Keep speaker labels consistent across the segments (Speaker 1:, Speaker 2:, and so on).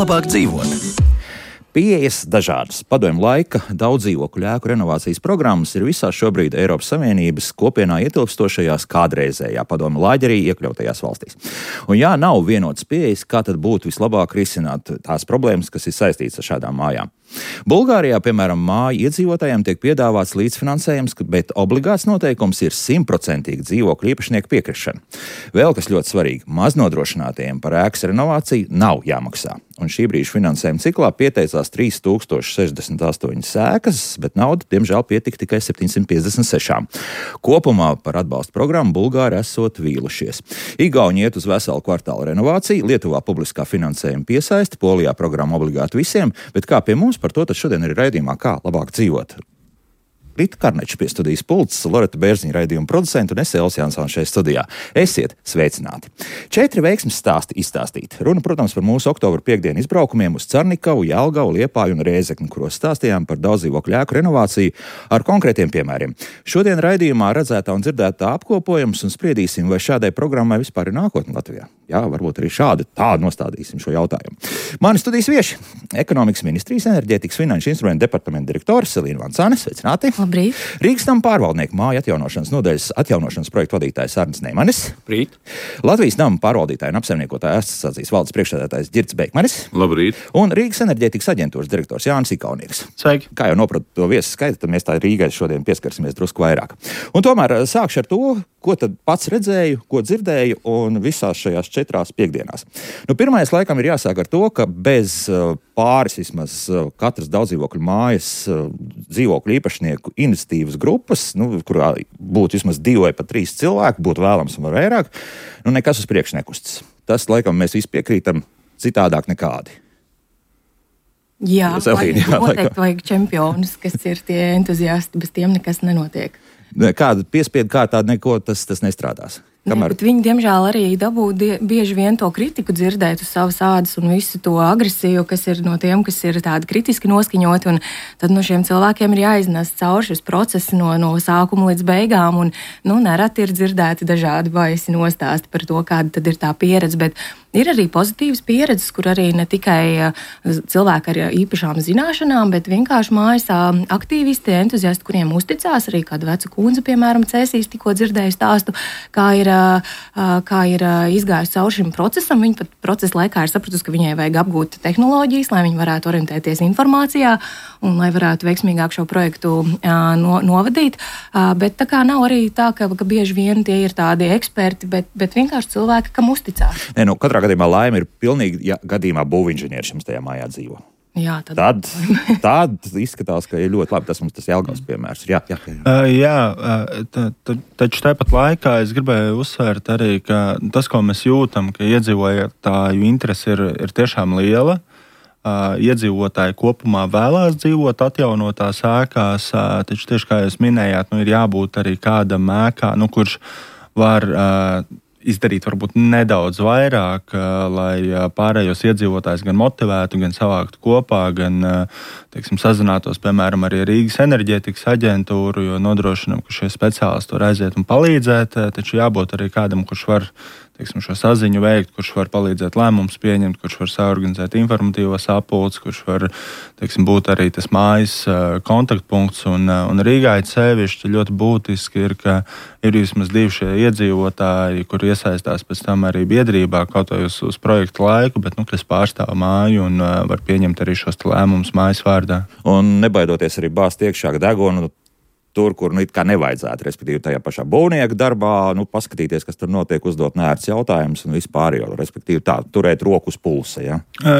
Speaker 1: labāk dzīvot? Pieejas dažādas. Padomju laika daudz dzīvokļu ēku renovācijas programmas ir visās šobrīd Eiropas Savienības kopienā ietilpstošajās kādreizējā padomju laģerī iekļautajās valstīs. Un jā, nav vienotas pieejas, kā tad būtu vislabāk risināt tās problēmas, kas ir saistītas ar šādām mājām. Bulgārijā, piemēram, māju iedzīvotājiem tiek piedāvāts līdzfinansējums, bet obligāts noteikums ir 100% dzīvokļu īpašnieku piekrišana. Vēl kas ļoti svarīgi, maznodrošinātajiem par ēkas renovāciju nav jāmaksā. Un šī brīža finansējuma ciklā pieteicās 3068 ēkas, bet nauda, diemžēl, pietika tikai 756. Kopumā par atbalstu programmu Bulgāri esot vīlušies. Igauni iet uz veselu kvartālu renovāciju, Lietuvā publiskā finansējuma piesaisti, Polijā programma obligāti visiem, bet kā pie mums par to tad šodien ir raidījumā Kā labāk dzīvot. Rita Karneča pie studijas pults, Loreta Bērziņa raidījuma producenta un es Elsa Jansona šeit studijā. Esiet sveicināti! 4 veiksmes stāsti izstāstīti. Runa, protams, par mūsu oktobra piekdienu izbraukumiem uz Carnikavu, Jelgavu, Liepāju un Rēzekni, kuros stāstījām par daudzdzīvokļu ēku renovāciju ar konkrētiem piemēriem. Šodien raidījumā redzētā un dzirdētā apkopojums un spriedīsim, vai šādai programmai vispār ir nākotne Latvijā. Jā, varbūt arī tā nostādīsim šo jautājumu. Mani studijas vieši - Ekonomikas ministrijas enerģētikas finanšu instrumentu departamenta direktore Selīna Vancāne. Sveicināti!
Speaker 2: Labrīt.
Speaker 1: Rīgas nama pārvaldnieku māju atjaunošanas nodaļas atjaunošanas projektu vadītājs Arnis Neimanis.
Speaker 3: Labrīt.
Speaker 1: Latvijas nama pārvaldītāja un apsaimniekotāja asociācijas valdes priekšsēdētājs Ģirds Beikmanis.
Speaker 3: Labrīt.
Speaker 1: Un Rīgas enerģētikas aģentūras direktors Jānis Ikaunieks.
Speaker 3: Sveiki.
Speaker 1: Kā jau nopratu to viesu skaitu, tad mēs tā Rīgai šodien pieskarsimies drusku vairāk. Un tomēr sākšu ar to, ko tad pats redzēju, ko dzirdēju un visās šajās 4 piekdienās. Pirmais laikam ir jāsāk ar to, ka bez pāris vismaz katras daudzdzīvokļu mājas dzīvokļu īpašnieku iniciatīvas grupas, kurā būtu vismaz 2 vai pat 3 cilvēki, būtu vēlams un vairāk, nekas uz priekšu nekustas. Tas, laikam, mēs visi piekrītam, citādāk nekādi.
Speaker 2: Jā, noteikti vajag čempionus, kas ir tie entuziasti, bez tiem nekas nenotiek.
Speaker 1: Kāda piespiedu kārtā neko tas nestrādās.
Speaker 2: Bet viņi, diemžēl, arī dabū bieži vien to kritiku dzirdēt uz savas ādas un visu to agresiju, kas ir no tiem, kas ir tādi kritiski noskaņoti. Un tad no šiem cilvēkiem ir jāiznes cauri šis process no sākuma līdz beigām. Un, nereti ir dzirdēti dažādi baisi nostāsti par to, kāda tad ir tā pieredze. Bet ir arī pozitīvas pieredzes, kur arī ne tikai cilvēki ar īpašām zināšanām, bet vienkārši mājas aktīvisti, entuziasti, kuriem uzticās. Arī kāda veca kundze, piemēram, Cēsīs, tikko dzirdēju stāstu, kā ir izgājusi cauri šim procesam. Viņa pat procesa laikā ir sapratusi, ka viņai vajag apgūt tehnoloģijas, lai viņi varētu orientēties informācijā un lai varētu veiksmīgāk šo projektu novadīt. Bet tā kā nav arī tā, ka bieži vien tie ir tādi eksperti, bet vienkārši cilvēki, kam uzticās.
Speaker 1: Katrā gadījumā laime ir pilnīgi, ja gadījumā būvinženieris jums tajā mājā dzīvo.
Speaker 2: Jā,
Speaker 1: tad izskatās, ka ir ļoti labi. Tas mums tas Jelgavas piemērs.
Speaker 4: Taču tāpat laikā es gribēju uzsvērt arī, ka tas, ko mēs jūtam, ka iedzīvotāju interese ir tiešām liela. Iedzīvotāji kopumā vēlās dzīvot atjaunotās ēkās, taču tieši kā jūs minējāt, ir jābūt arī kādam ēkā, kurš var izdarīt varbūt nedaudz vairāk, lai pārējos iedzīvotājus gan motivētu, gan savāktu kopā, gan, sazinātos, piemēram, arī Rīgas enerģētikas aģentūru, jo nodrošinām, ka šie speciālisti var aiziet un palīdzēt, taču jābūt arī kādam, kurš var šo saziņu veikt, kurš var palīdzēt lēmumus pieņemt, kurš var saorganizēt informatīvos sapulces, kurš var, būt arī tas mājas kontaktpunkts. Un Rīgā sevišķi ļoti būtiski ir, ka ir vismaz 2 šie iedzīvotāji, kuri iesaistās pēc tam arī biedrībā, kaut vai uz projektu laiku, bet, kas pārstāv māju un var pieņemt arī šos lēmumus mājas vārdā. Un
Speaker 1: nebaidoties arī bāzt iekšā degunu, tur, kur it kā nevajadzētu, respektīvi tajā pašā būvnieka darbā, paskatīties, kas tur notiek, uzdot neērts jautājumus un vispār jau, respektīvi turēt roku uz pulsa, ja?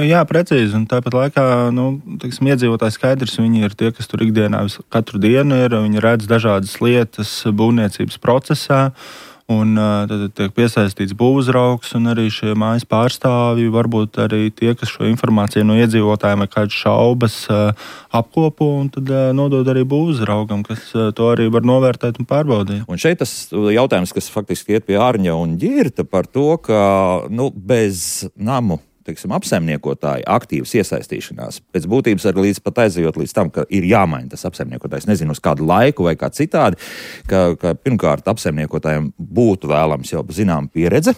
Speaker 4: Jā, precīzi, un tāpat laikā, iedzīvotāji skaidrs, viņi ir tie, kas tur ikdienā katru dienu ir, viņi redz dažādas lietas būvniecības procesā, un tad tiek piesaistīts būvuzraugs un arī šie mājas pārstāvji, varbūt arī tie, kas šo informāciju no iedzīvotājiem vai kādas šaubas apkopo un tad nodod arī būvuzraugam, kas to arī var novērtēt un pārbaudīt.
Speaker 1: Un šeit tas jautājums, kas faktiski iet pie Ārņa un Ģirta par to, ka bez namu apsaimniekotāju aktīvas iesaistīšanās. Pēc būtības arī līdz pat aizejot līdz tam, ka ir jāmaina tas apsaimniekotājs, nezinu, uz kādu laiku vai kā citādi, ka pirmkārt apsaimniekotājiem būtu vēlams jau zinām pieredze,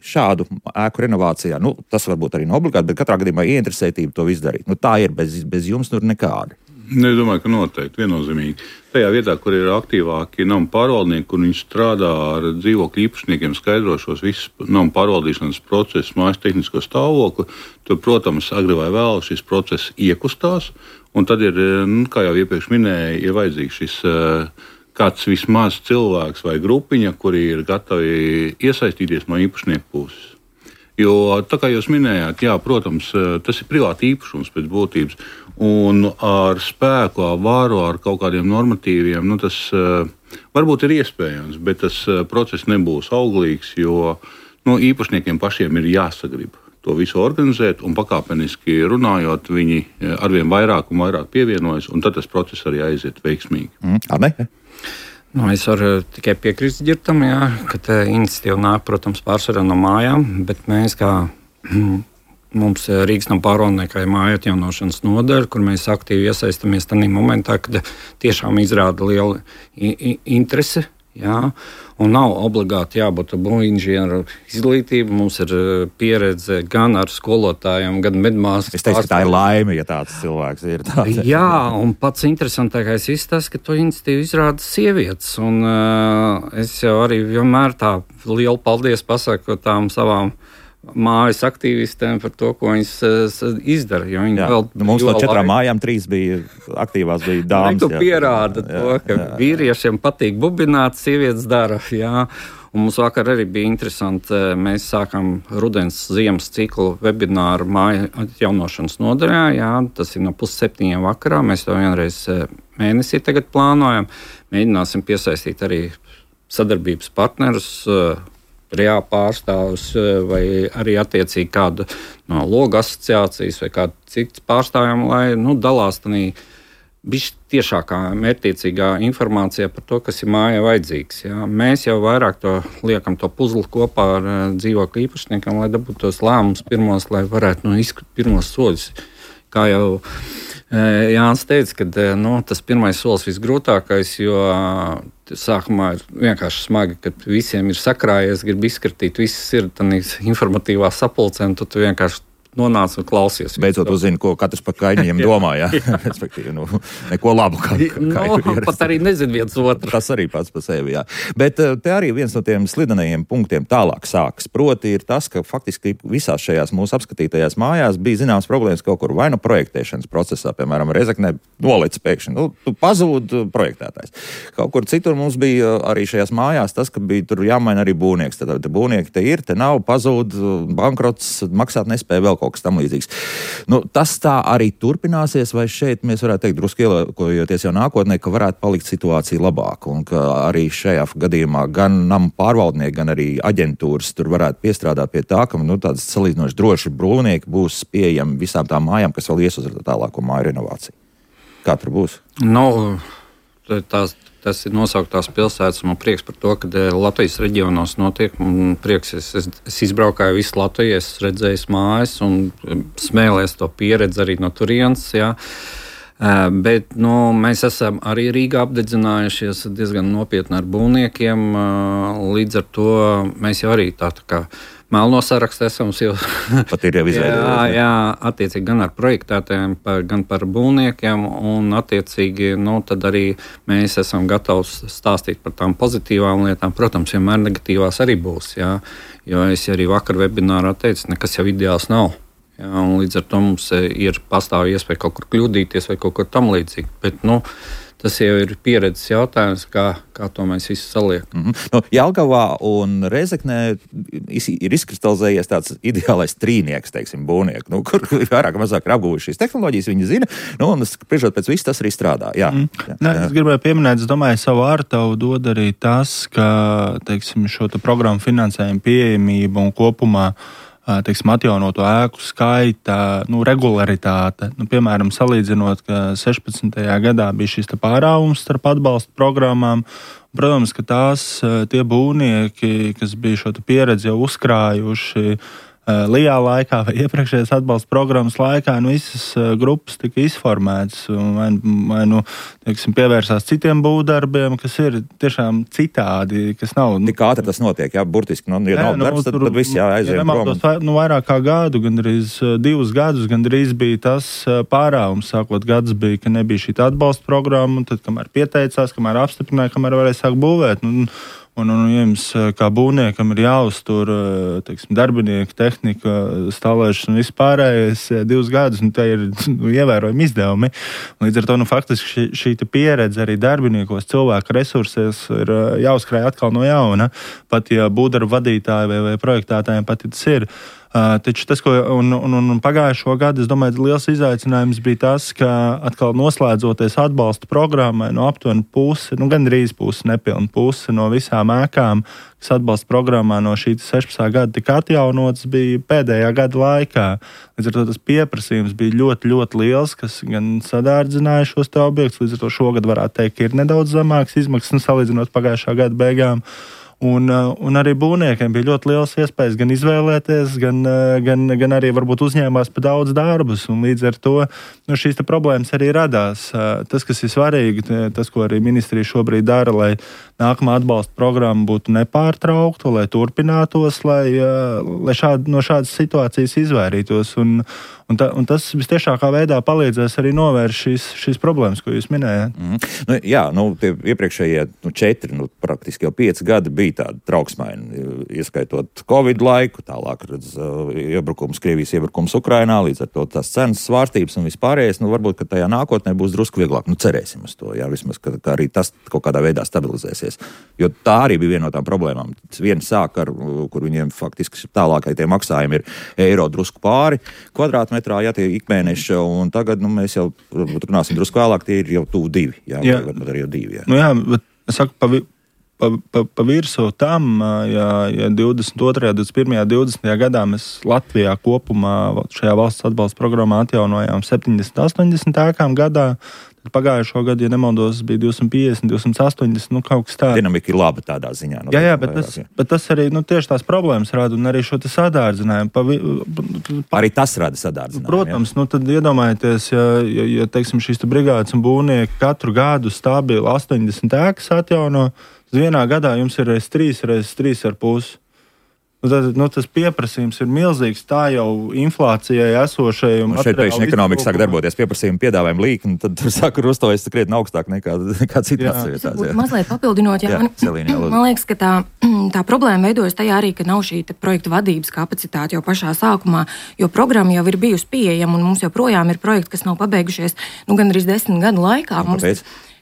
Speaker 1: šādu ēku renovācijā, tas varbūt arī nav obligāti, bet katrā gadījumā ieinteresētība to visu darīt. Tā ir, bez jums tur nekāda.
Speaker 3: Es domāju, ka noteikti viennozīmīgi. Tajā vietā, kur ir aktīvāki nama pārvaldnieki, kur viņi strādā ar dzīvokļu īpašniekiem, skaidrošos visus nama pārvaldīšanas procesus, mājas tehnisko stāvokli, tur, protams, agri vai vēl šis process iekustās, un tad ir, kā jau iepriekš minēju, ir vajadzīgs šis kāds vismaz cilvēks vai grupiņa, kuri ir gatavi iesaistīties no īpašnieku puses. Jo, tā kā jūs minējāt, jā, protams, tas ir privāti īpašums pēc būtības, un ar spēku, ar varu, ar kaut kādiem normatīviem, tas varbūt ir iespējams, bet tas process nebūs auglīgs, jo īpašniekiem pašiem ir jāsagrib to visu organizēt, un pakāpeniski runājot, viņi arvien vairāk un vairāk pievienojas, un tad tas process arī aiziet veiksmīgi.
Speaker 5: Es varu tikai piekrist Ģirtam, ka tā iniciatīva nāk, protams, pārsvarā no mājām, bet mēs mums Rīgas nama pārvaldniekā ir māju atjaunošanas nodaļa, kur mēs aktīvi iesaistamies tajā momentā, kad tiešām izrāda lielu interesi. Un nav obligāti jābūt būvinženieru izglītība. Mums ir pieredze gan ar skolotājiem, gan medmāsas.
Speaker 1: Es teicu, ka tā ir laime, ja tāds cilvēks ir.
Speaker 5: Jā, un pats interesantākais ir tas, ka to iniciatīvu izrāda sievietes. Un es jau arī vienmēr tā lielu paldies pasaku tām savām mājas aktīvistiem par to, ko viņas izdara.
Speaker 1: Mums no 4 mājām 3 bija aktīvās, bija dāmas.
Speaker 5: Tu pierāda to, ka vīriešiem patīk bubināt, sievietes dara. Un mums vakar arī bija interesanti. Mēs sākam rudens ziemas ciklu webināru māju atjaunošanas nodaļā. Tas ir no 6:30 vakarā. Mēs to vienreiz mēnesī tagad plānojam. Mēģināsim piesaistīt arī sadarbības partnerus, reāli pārstāvus vai arī attiecīgi kādu no loga asociācijas vai kādu citu pārstāvjiem, lai dalās tādā tiešākā, mērķtiecīgā informācijā par to, kas ir mājai vajadzīgs. Mēs jau vairāk to liekam to puzli kopā ar dzīvokļu īpašniekiem, lai dabūtu tos lēmumus pirmos, lai varētu izskatīt pirmos soļus. Kā jau Jānis teica, ka tas pirmais solis visgrūtākais, jo sākumā ir vienkārši smagi, kad visiem ir sakrājies, grib izskatīt, viss ir tādā informatīvā sapulcē, un tu vienkārši nonāc un klausies.
Speaker 1: Beidzot uzzini, ko katrs par kaimiņiem domā, respektīvi, neko labu.
Speaker 5: Pat arī nezinu viens otru.
Speaker 1: Tas arī pats par sevi, Bet te arī viens no tiem slidenajiem punktiem tālāk sākas. Proti ir tas, ka faktiski visās šajās mūsu apskatītajās mājās bija zināmas problēmas kaut kur vai projektēšanas procesā, piemēram, Rezeknē nolec pēkšņi. Tu pazūd projektētājs. Kaut kur citur mums bija arī šajās mājās tas, ka bija tur jāmaina arī būvnieks. Tad būvnieki te ir, te nav, pazūd, bankrots, maksāt nespēja vēl kaut kas tam līdzīgs. Tas tā arī turpināsies, vai šeit mēs varētu teikt drusku ielākojoties jau nākotnē, ka varētu palikt situācija labāka un ka arī šajā gadījumā gan nama pārvaldnieki, gan arī aģentūras tur varētu piestrādāt pie tā, ka tādas salīdzinoši droši būvnieki būs pieejami visām tām mājām, kas vēl ies uz tālāko māju renovāciju. Kā tur būs?
Speaker 5: Tas ir nosauktās pilsētas. Man prieks par to, ka Latvijas reģionos notiek. Man prieks, es izbraukāju visu Latviju, es redzēju mājas un smēlēs to pieredzi arī no turienes. Bet mēs esam arī Rīgā apdedzinājušies diezgan nopietni ar būvniekiem. Līdz ar to mēs jau arī tā kā melno sarakstu esam jau
Speaker 1: pat ir jau izveidojis.
Speaker 5: Jā, attiecīgi gan ar projektētājiem, gan par būvniekiem, un attiecīgi, tad arī mēs esam gatavi stāstīt par tām pozitīvām lietām. Protams, vienmēr negatīvās arī būs, jo es arī vakar webinārā teicu, nekas jau ideāls nav. Un līdz ar to mums ir pastāv iespēja kaut kur kļūdīties vai kaut kur tam līdzīgi. Bet, tas jau ir pieredzes jautājums, kā to mēs visu saliekam.
Speaker 1: Jelgavā un Rezeknē ir izkristalizējies tāds ideālais trīnieks, teiksim, būvnieki, kur vairāk mazāk ir apguvuši šīs tehnoloģijas, viņi zina, un spriežot pēc viss tas arī strādā. Jā.
Speaker 4: Es gribēju pieminēt, es domāju, savu ārtavu dod arī tas, ka, teiksim, šo programmu finansējumu pieejamību un kopumā atjaunoto ēku skaita, regularitāte. Piemēram, salīdzinot, ka 16. gadā bija šis pārāvums starp atbalsta programmām. Protams, ka tie būvnieki, kas bija šo pieredzi jau uzkrājuši, Lijā laikā vai iepriekšējās atbalsta programmas laikā visas grupas tika izformētas vai teiksim, pievērsās citiem būvdarbiem, kas ir tiešām citādi, kas nav...
Speaker 1: Tik ātri tas notiek, burtiski, ja nav darbs, tad viss jāaizvien prom.
Speaker 4: Vairāk kā gadu, gandrīz 2 gadus, gandrīz bija tas pārāvums. Sākot gads bija, ka nebija šī atbalsta programma, un tad, kamēr pieteicās, kamēr apstiprināja, kamēr varēja sākt būvēt. Un jums, kā būvniekam, ir jāuztur teiksim, darbinieki, tehnika, stāvēšana un vispārējais 2 gadus, un tie ir ievērojami izdevumi. Līdz ar to faktiski šī pieredze arī darbiniekos, cilvēku resursos ir jāuzkrāj atkal no jauna. Pat ja būvdarbu vadītāji vai projektētājiem pat tas ir. Taču tas, un pagājušo gadu, es domāju, liels izaicinājums bija tas, ka atkal noslēdzoties atbalsta programmai no aptuveni pusi, gandrīz pusi, nepilna pusi no visām ēkām, kas atbalsta programmā no šī 16. gada tika atjaunotas, bija pēdējā gada laikā. Līdz ar to tas pieprasījums bija ļoti, ļoti liels, kas gan sadārdzināja šos te objektus, līdz ar to šogad varētu teikt, ka ir nedaudz zemāks izmaksas salīdzinot pagājušā gada beigām. Un arī būvniekiem bija ļoti liels iespējas gan izvēlēties, gan arī varbūt uzņēmās pa daudz darbus. Un līdz ar to šīs problēmas arī radās. Tas, kas ir svarīgi, tas, ko arī ministrija šobrīd dara, lai nākamā atbalsta programma būtu nepārtraukta, lai turpinātos, lai no šādas situācijas izvairītos. Un tas vistiešākā veidā palīdzēs arī novērst šīs problēmas, ko jūs minējāt.
Speaker 1: Tie iepriekšējie 4, praktiski jau 5 gadi bija tādi trauksmaini, ieskaitot Covid laiku, tālāk Krievijas iebrukums Ukrainā, līdz ar to tās cenas svārstības un vispārējais. Varbūt, ka tajā nākotnē būs drusku vieglāk. Cerēsim uz to, vismaz, ka arī tas kaut kādā veidā stabilizēsies. Jo tā arī bija viena no tām problēmām. Viena sāk kur viņiem faktiski tālākai tie maksājumi ir eiro drusku pāri kvadrātmetrā, tie ikmēneša, un tagad mēs jau runāsim drusku vēlāk, tie ir jau tuvu 2. Varbūt arī jau 2.
Speaker 4: Bet es saku, pa virsu tam, ja 22., 21., 20. gadā mēs Latvijā kopumā šajā valsts atbalsta programmā atjaunojām 70-80 ēkām gadā, tad pagājušo gadu, ja nemaldos, bija 250, 280, kaut kas tāds.
Speaker 1: Dinamika ir laba tādā ziņā.
Speaker 4: Bet tas arī tieši tās problēmas rada un arī šo sadārdzinājumu.
Speaker 1: Arī tas rada sadārdzinājumu.
Speaker 4: Protams, tad iedomājieties, ja teiksim, šīs brigādes un būvnieki katru gadu stabili 80 ēkas atjauno, vienā gadā jums ir 3,5. Tas pieprasījums ir milzīgs. Tā jau inflācijai esošai.
Speaker 1: Šeit pēkšņi ekonomika sāk darboties, pieprasījuma piedāvājuma līkni, tad tur sāk rustojas krietni augstāk nekā citās vietās.
Speaker 2: Mazliet papildinot, man liekas, ka tā problēma veidojas tajā arī, ka nav šī projekta vadības kapacitāte jau pašā sākumā, jo programma jau ir bijusi pieejama un mums joprojām ir projekti, kas nav pabeigušies gandrīz 10 gadu laikā.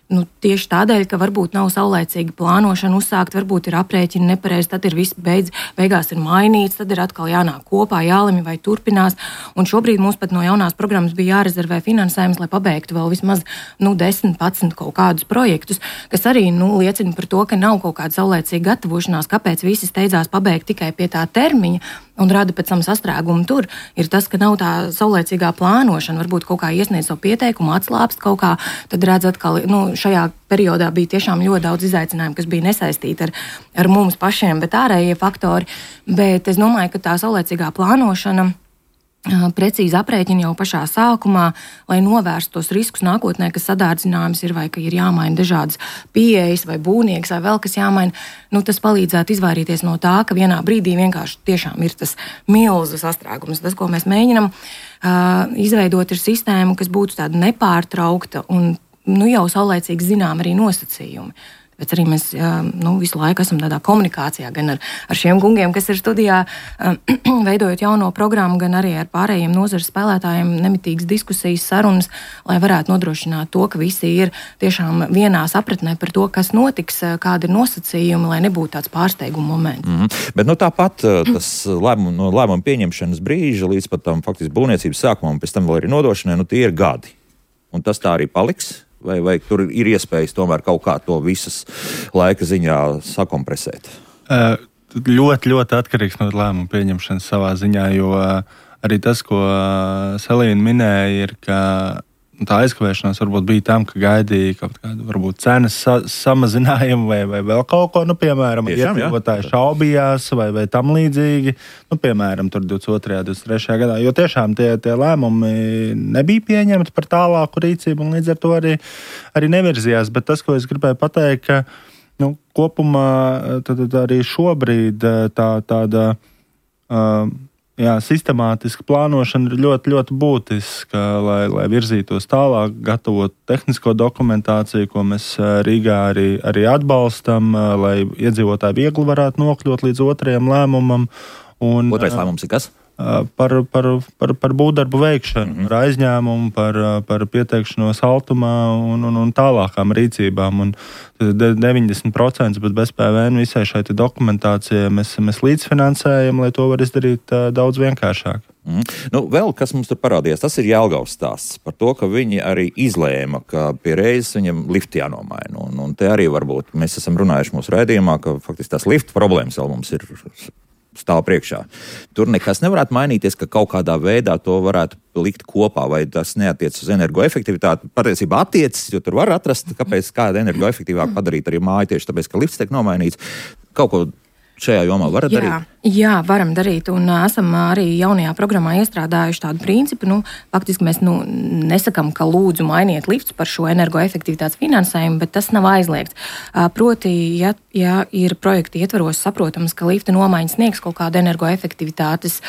Speaker 2: Tieši tādēļ, ka varbūt nav saulaicīga plānošana uzsākt, varbūt ir aprēķini nepareizi, tad ir viss beigās ir mainīts, tad ir atkal jānāk kopā, jālemj vai turpinās. Un šobrīd mums pat no jaunās programmas bija jārezervē finansējums, lai pabeigtu vēl vismaz 10-11 kaut kādus projektus, kas arī liecina par to, ka nav kaut kāda saulaicīga gatavošanās, kāpēc visi steidzās pabeigt tikai pie tā termiņa un rada pēc tam sastrēgumu tur, ir tas, ka nav tā saulaicīgā plānošana, varbūt kaut kā iesniedz savu pieteikumu, atslāpst kaut kā, tad redz atkal, šajā periodā bija tiešām ļoti daudz izaicinājumu, kas bija nesaistīti ar mums pašiem, bet ārējie faktori. Bet es domāju, ka tā saulaicīgā plānošana, precīzi aprēķini jau pašā sākumā, lai novērstu tos riskus nākotnē, kas sadārdzinājums ir vai ka ir jāmaina dažādas pieejas vai būvnieks vai vēl kas jāmaina, tas palīdzētu izvairīties no tā, ka vienā brīdī vienkārši tiešām ir tas milzu sastrēgums. Tas, ko mēs mēģinam izveidot, ir sistēma, kas būtu tāda nepārtraukta un jau saulaicīgi zinām arī nosacījumi. Bet arī mēs visu laiku esam tādā komunikācijā gan ar šiem kungiem, kas ir studijā, veidojot jauno programmu, gan arī ar pārējiem nozares spēlētājiem, nemitīgas diskusijas, sarunas, lai varētu nodrošināt to, ka visi ir tiešām vienā sapratnē par to, kas notiks, kādi ir nosacījumi, lai nebūtu tāds pārsteiguma moments.
Speaker 1: Bet tāpat tas no lēmuma pieņemšanas brīža līdz pat tam faktiski būvniecības sākumam, pēc tam vēl arī nodošanai, tie ir gadi. Un tas tā arī paliks? Vai tur ir iespējas tomēr kaut kā to visas laika ziņā sakompresēt?
Speaker 4: Ļoti, ļoti atkarīgs no lēmuma pieņemšanas savā ziņā, jo arī tas, ko Selīna minēja, ir, ka tā aizkavēšanās varbūt bija tam, ka gaidīja kaut kādu varbūt cenas samazinājumu vai vēl kaut ko, piemēram, iedzīvotāji šaubījās vai tam līdzīgi, piemēram, tur 22. 23. gadā, jo tiešām tie lēmumi nebija pieņemti par tālāku rīcību un līdz ar to arī nevirzījās, bet tas, ko es gribēju pateikt, ka kopumā tad arī šobrīd tāda sistemātiska plānošana ir ļoti, ļoti būtiska, lai virzītos tālāk, gatavot tehnisko dokumentāciju, ko mēs Rīgā arī atbalstam, lai iedzīvotāji viegli varētu nokļūt līdz otrajam lēmumam.
Speaker 1: Otrais lēmums ir kas?
Speaker 4: Par būvdarbu veikšanu, par aizņēmumu, par pieteikšanos altumā un tālākām rīcībām. Un 90%, bet bez PVN visai šai dokumentācijai mēs līdzfinansējam, lai to var izdarīt daudz vienkāršāk.
Speaker 1: Vēl kas mums tur parādījās, tas ir Jelgavas stāsts par to, ka viņi arī izlēma, ka pie reizes viņam lifti jānomaina. Un te arī varbūt mēs esam runājuši mūsu raidījumā, ka faktiski tās lifta problēmas vēl mums ir stāv priekšā. Tur nekas nevarētu mainīties, ka kaut kādā veidā to varētu likt kopā, vai tas neatiec uz energoefektivitāti. Patiesībā attiecas, jo tur var atrast, kāda energoefektīvāk padarīt arī māju tieši tāpēc, ka lifts tiek nomainīts. Kaut ko šajā jomā varat darīt?
Speaker 2: Jā, varam darīt, un esam arī jaunajā programmā iestrādājuši tādu principu. Faktiski mēs nesakam, ka lūdzu mainiet lifts par šo energoefektivitātes finansējumu, bet tas nav aizliegts. Proti, ja ir projekti ietvaros saprotams, ka lifta nomaiņas sniegs kaut kādu energoefektivitātes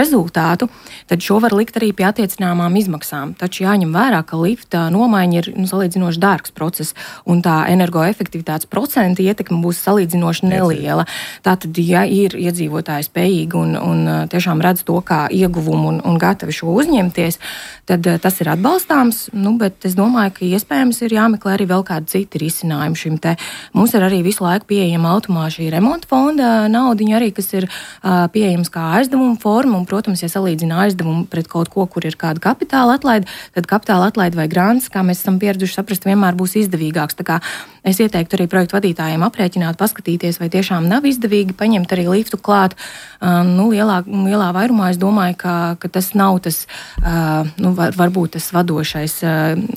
Speaker 2: rezultātu, tad šo var likt arī pie attiecināmām izmaksām. Taču jāņem vērā, ka lifta nomaiņa ir salīdzinoši dārgs process, un tā energoefektivitātes procenta ietekme būs salīdzinoši neliela. Tātad, ja ir iedzīvotāji spējīgi un tiešām redz to kā ieguvumu un gatavi šo uzņemties, tad tas ir atbalstāms, bet es domāju, ka iespējams ir jāmeklē arī vēl kādi citi risinājumi šim te. Mums ir arī visu laiku pieejama automā šī remonta fonda naudiņa arī, kas ir pieejams kā aizdevuma forma, un, protams, ja salīdzina aizdevumu pret kaut ko, kur ir kāda kapitāla atlaide, tad kapitāla atlaide vai grants, kā mēs esam pieraduši saprast, vienmēr būs izdevīgāks. Tā kā es ieteiktu arī projektu vadītājiem aprēķināt, paskatīties, vai tiešām nav izdevīgi paņemt arī liftu klāt. Lielā vairumā es domāju, ka tas nav tas, varbūt tas vadošais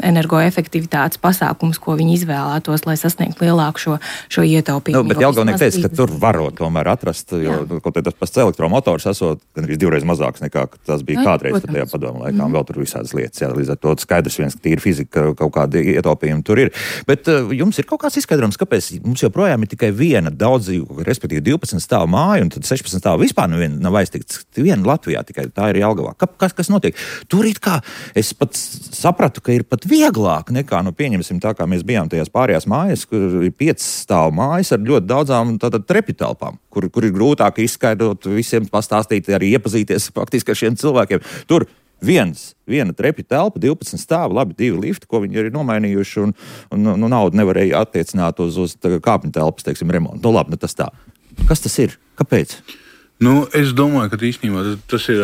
Speaker 2: energoefektivitātes pasākums, ko viņi izvēlētos, lai sasniegtu lielāku šo ietaupījumu.
Speaker 1: Bet Jelgavnieks teica, ka tur varot tomēr atrast, jo kaut tas pats elektromotors esot gan arī 2 reizes mazāks nekā tas bija kādreiz tajā padomu laikā, vēl tur visādas lietas. Jā, līdz ar to skaidrs viens, ka tīri fizika kaut kādi ietaupījumi tur ir. Bet jums ir kaut kāds izskaidrojums, kāpēc mums joprojām ir tikai viena daudzdzīvokļa, respektīvi 12 stāvu māja, un tad 16 stāvu vispār nav aiztikts. Viena Latvijā tikai tā ir Jelgavā. Kas notiek? Tur it kā es pat sapratu, ka ir pat vieglāk nekā, pieņemsim tā, kā mēs bijām tajās pārējās mājas, kur ir 5 stāvu mājas ar ļoti daudzām trepitelpām, kur ir grūtāk izskaidrot, visiem pastāstīt, arī iepazīties faktiski ar šiem cilvēkiem. Tur viena trepi telpa, 12 stāvi, labi 2 lifti, ko viņi ir nomainījuši, un naudu nevarēja attiecināt uz kāpņu telpas, teiksim, remontu. Labi, tas tā. Kas tas ir? Kāpēc?
Speaker 3: Es domāju, ka īstenībā tas ir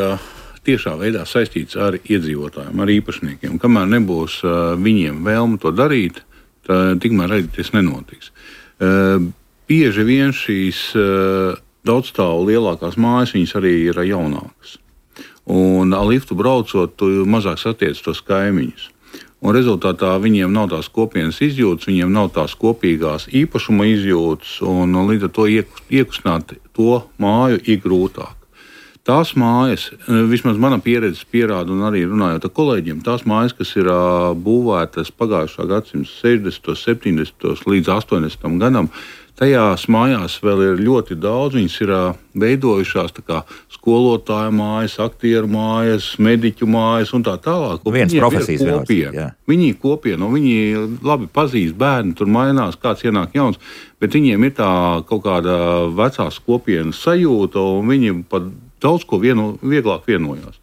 Speaker 3: tiešā veidā saistīts ar iedzīvotājiem, ar īpašniekiem. Kamēr nebūs viņiem vēlme to darīt, tikmēr arī tas nenotiks. Bieži vien šīs daudzstāvu lielākās mājas, viņas arī ir jaunākas. Un ar liftu braucot, tu mazāk satiec tos kaimiņus. Un rezultātā viņiem nav tās kopienas izjūtas, viņiem nav tās kopīgās īpašuma izjūtas, un līdz ar to iekustināt to māju ir grūtāk. Tās mājas, vismaz mana pieredze pierāda, un arī runājot ar kolēģiem, tās mājas, kas ir būvētas pagājušā gadsimta 60., 70. līdz 80. gadam, tajās mājās vēl ir ļoti daudz. Viņas ir veidojušās tā kā skolotāju mājas, aktieru mājas, mediķu mājas un tā tālāk.
Speaker 1: Viens profesijas
Speaker 3: kopiena. Viņi ir kopiena, viņi labi pazīst bērni, tur mainās, kāds ienāk jauns, bet viņiem ir tā kaut kāda vecās kopienas sajūta, un viņi pat daudz ko vieglāk vienojās.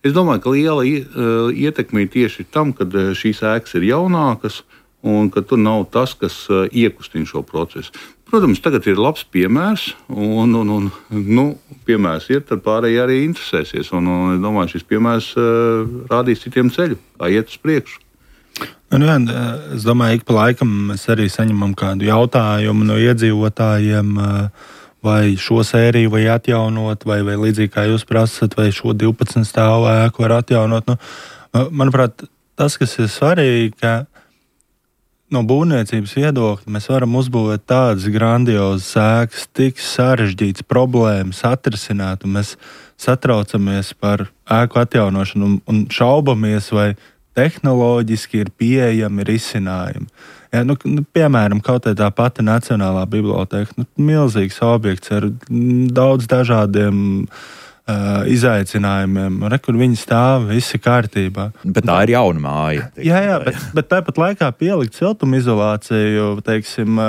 Speaker 3: Es domāju, ka liela ietekme ir tieši tam, kad šīs ēkas ir jaunākas, un ka tur nav tas, kas iekustina šo procesu. Protams, tagad ir labs piemērs, un piemērs ir, tad pārējie arī interesēsies. Un es domāju, šis piemērs rādīs citiem ceļu, kā iet uz priekšu.
Speaker 4: Es domāju, ik pa laikam mēs arī saņemam kādu jautājumu no iedzīvotājiem, vai šo sēriju vai atjaunot, vai līdzīgi kā jūs prasat, vai šo 12 stāvu ēku var atjaunot. Manuprāt, tas, kas ir svarīgi, ka no būvniecības viedokļa mēs varam uzbūvēt tādas grandiozas ēkas, tik sarežģītas problēmas atrisināt, un mēs satraucamies par ēku atjaunošanu un šaubamies, vai tehnoloģiski ir pieejami risinājumi. Ja, piemēram, kaut tā pati Nacionālā biblioteka, milzīgs objekts ar daudz dažādiem izaicinājumiem, kur viņi stāv, viss ir kārtībā.
Speaker 1: Bet tā ir jauna māja.
Speaker 4: Jā, bet tāpat laikā pielikt siltumizolāciju, teiksim,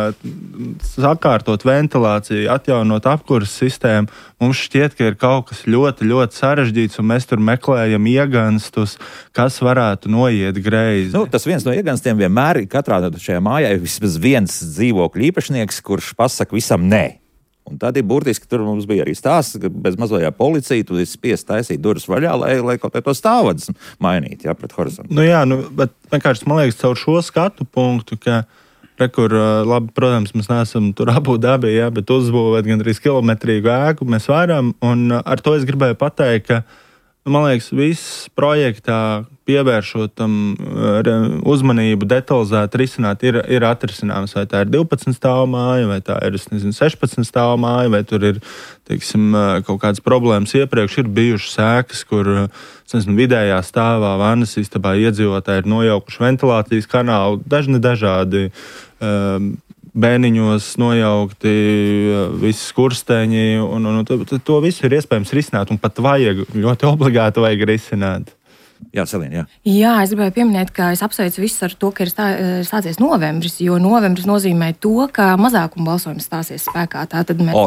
Speaker 4: sakārtot ventilāciju, atjaunot apkuras sistēmu, mums šķiet, ka ir kaut kas ļoti, ļoti sarežģīts, un mēs tur meklējam ieganstus, kas varētu noiet greizi.
Speaker 1: Tas viens no ieganstiem vienmēr ir katrā šajā mājā vismaz viens dzīvokļu īpašnieks, kurš pasaka visam nē. Un tad ir burtiski, tur mums bija arī stāsts, ka bez mazajā policija tu esi spiest taisīt durvis vaļā, lai kaut kā to stāvvadus mainītu, pret horizontu.
Speaker 4: Bet vienkārši man liekas caur šo skatu punktu, ka labi, protams, mēs neesam tur Abu Dabī, bet uzbūvēt gandrīz kilometrīgu ēku mēs varam, un ar to es gribēju pateikt, ka man liekas, viss projektā pievēršot tam uzmanību, detalizēti risināt, ir atrisināms. Vai tā ir 12 stāvu māja, vai tā ir 16 stāvu māja, vai tur ir, teiksim, kaut kādas problēmas iepriekš. Ir bijušas ēkas, kur vidējā stāvā vannas istabā iedzīvotāji ir nojaukuši ventilācijas kanālu, dažādi bēniņos nojaukti visi skursteņi, un to visu ir iespējams risināt, un pat ļoti obligāti vajag risināt.
Speaker 1: Jā, Selīna, jā.
Speaker 2: Jā, es gribēju pieminēt, ka es apsveicu visus ar to, ka ir stācies novembris, jo novembris nozīmē to, ka mazākuma balsojums stāsies spēkā.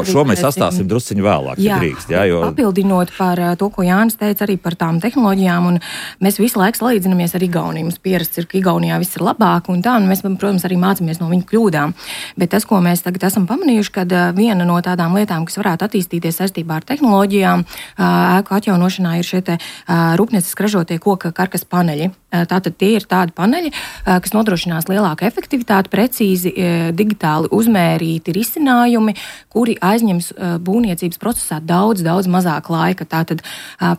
Speaker 1: Šo mēs sastāsim drusciņu vēlāk, ja drīkst. Jo...
Speaker 2: Papildinot par to, ko Jānis teica arī par tām tehnoloģijām, un mēs visu laiku salīdzinamies ar Igauniju. Mums pierasts ir, ka Igaunijā viss ir labāk, un tā, un mēs, protams, arī mācāmies no viņu kļūdām. Bet tas, ko mēs tagad esam pamanījuši, kad viena no tādām lietām, kas varētu attīstīties saistībā ar tehnoloģijām, ēku atjaunošanā ir šie rūpnieciski ražotie koka karkas paneļi. Tātad tie ir tādi paneļi, kas nodrošinās lielāku efektivitāti, precīzi digitāli uzmērīti risinājumi, kuri aizņems būvniecības procesā daudz mazāk laika. Tātad,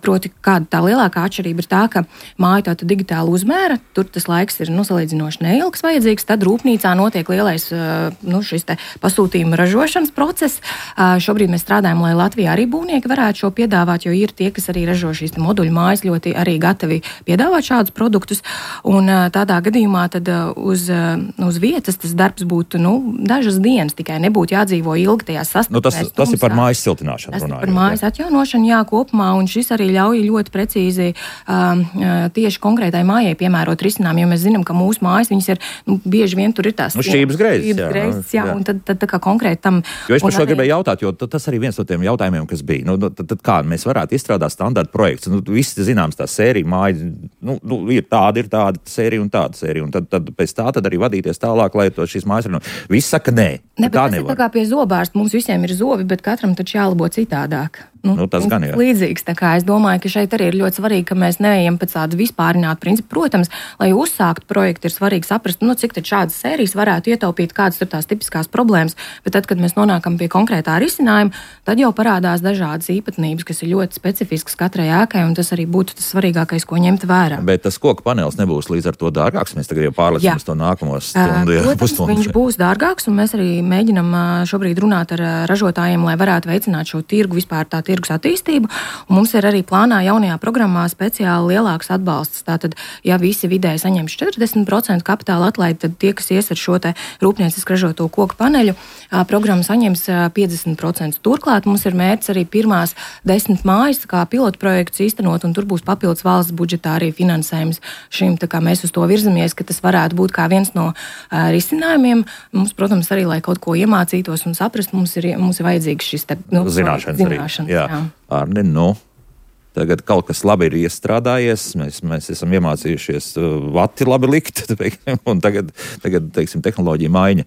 Speaker 2: proti, kāda tā lielākā atšķirība ir tā, ka māja tātad digitāli uzmēra, tur tas laiks ir salīdzinoši neilgs vajadzīgs, tad rūpnīcā notiek lielais šis te pasūtījuma ražošanas process. Šobrīd mēs strādājam, lai Latvijā arī būvnieki varētu šo piedāvāt, jo ir tie, kas arī ražo šīs moduļu mājas, ļoti arī gatavi piedāvāt šādus produktus, un tādā gadījumā tad uz vietas tas darbs būtu dažas dienas, tikai nebūtu jādzīvo ilgi tajā sastāvdaļā.
Speaker 1: Tas ir par mājas siltināšanu.
Speaker 2: Tas ir par mājas atjaunošanu, jā, kopumā, un šis arī ļauj ļoti precīzi tieši konkrētai mājai piemērot risinājumu, jo mēs zinām, ka mūsu mājas, viņas ir, bieži vien tur ir tās
Speaker 1: šķības greizes,
Speaker 2: jā, un tad tā kā konkrēti tam.
Speaker 1: Jo es par šo gribēju jautāt, jo tas arī viens no tiem jautājumiem, kas bija. Tad kā mēs varētu izstrādāt standarta projekts? Visi zināms tā sērija māja, ir tāda sērija un tāda sērija, un tad pēc tā tad arī vadīties tālāk, lai to šīs mājas ir. Visi saka, nē, tā nevar.
Speaker 2: Tas ir tā kā pie zobārsta, mums visiem ir zobi, bet katram taču jālabo citādāk.
Speaker 1: Tas gan ir.
Speaker 2: Līdzīgs, tā kā es domāju, ka šeit arī ir ļoti svarīgi, ka mēs neejam pēc tādu vispārinātu principu. Protams, lai uzsākt projektu, ir svarīgi saprast, cik tad šādas sērijas varētu ietaupīt, kādas tur tās tipiskās problēmas, bet tad, kad mēs nonākam pie konkrētā risinājuma, tad jau parādās dažādas īpatnības, kas ir ļoti specifiskas katrai ēkai, un tas arī būtu tas svarīgākais, ko ņemt vērā.
Speaker 1: Bet tas koka panelis nebūs līdz ar to dārgāks, mēs tagad jau pārlecam uz to nākamo stundu.
Speaker 2: Protams, viņš būs dārgāks, un mēs arī mēģinam šobrīd runāt ar ražotājiem, lai varētu veicināt šo tirgu, vispār tā tirgus attīstību. Un mums ir arī plānā jaunajā programmā speciāli lielāks atbalsts. Tātad, ja visi vidēji saņems 40% kapitāla atlaidi, tad tie, kas ies ar šo te rūpnieciski ražoto koku paneļu, programma saņems 50%. Turklāt mums ir mērķis arī pirmās 10 mājas kā pilotu projekts īstenot, un tur būs papildus valsts budžetā arī finansējums šim. Tā kā mēs uz to virzamies, ka tas varētu būt kā viens no risinājumiem. Mums, protams, arī, lai kaut ko iemācītos un saprast, mums ir vajadzīgs šis te,
Speaker 1: zināšanas. Jā. Arni, tagad kaut kas labi ir iestrādājies, mēs esam iemācījušies vati labi likt, un tagad teiksim, tehnoloģija maiņa.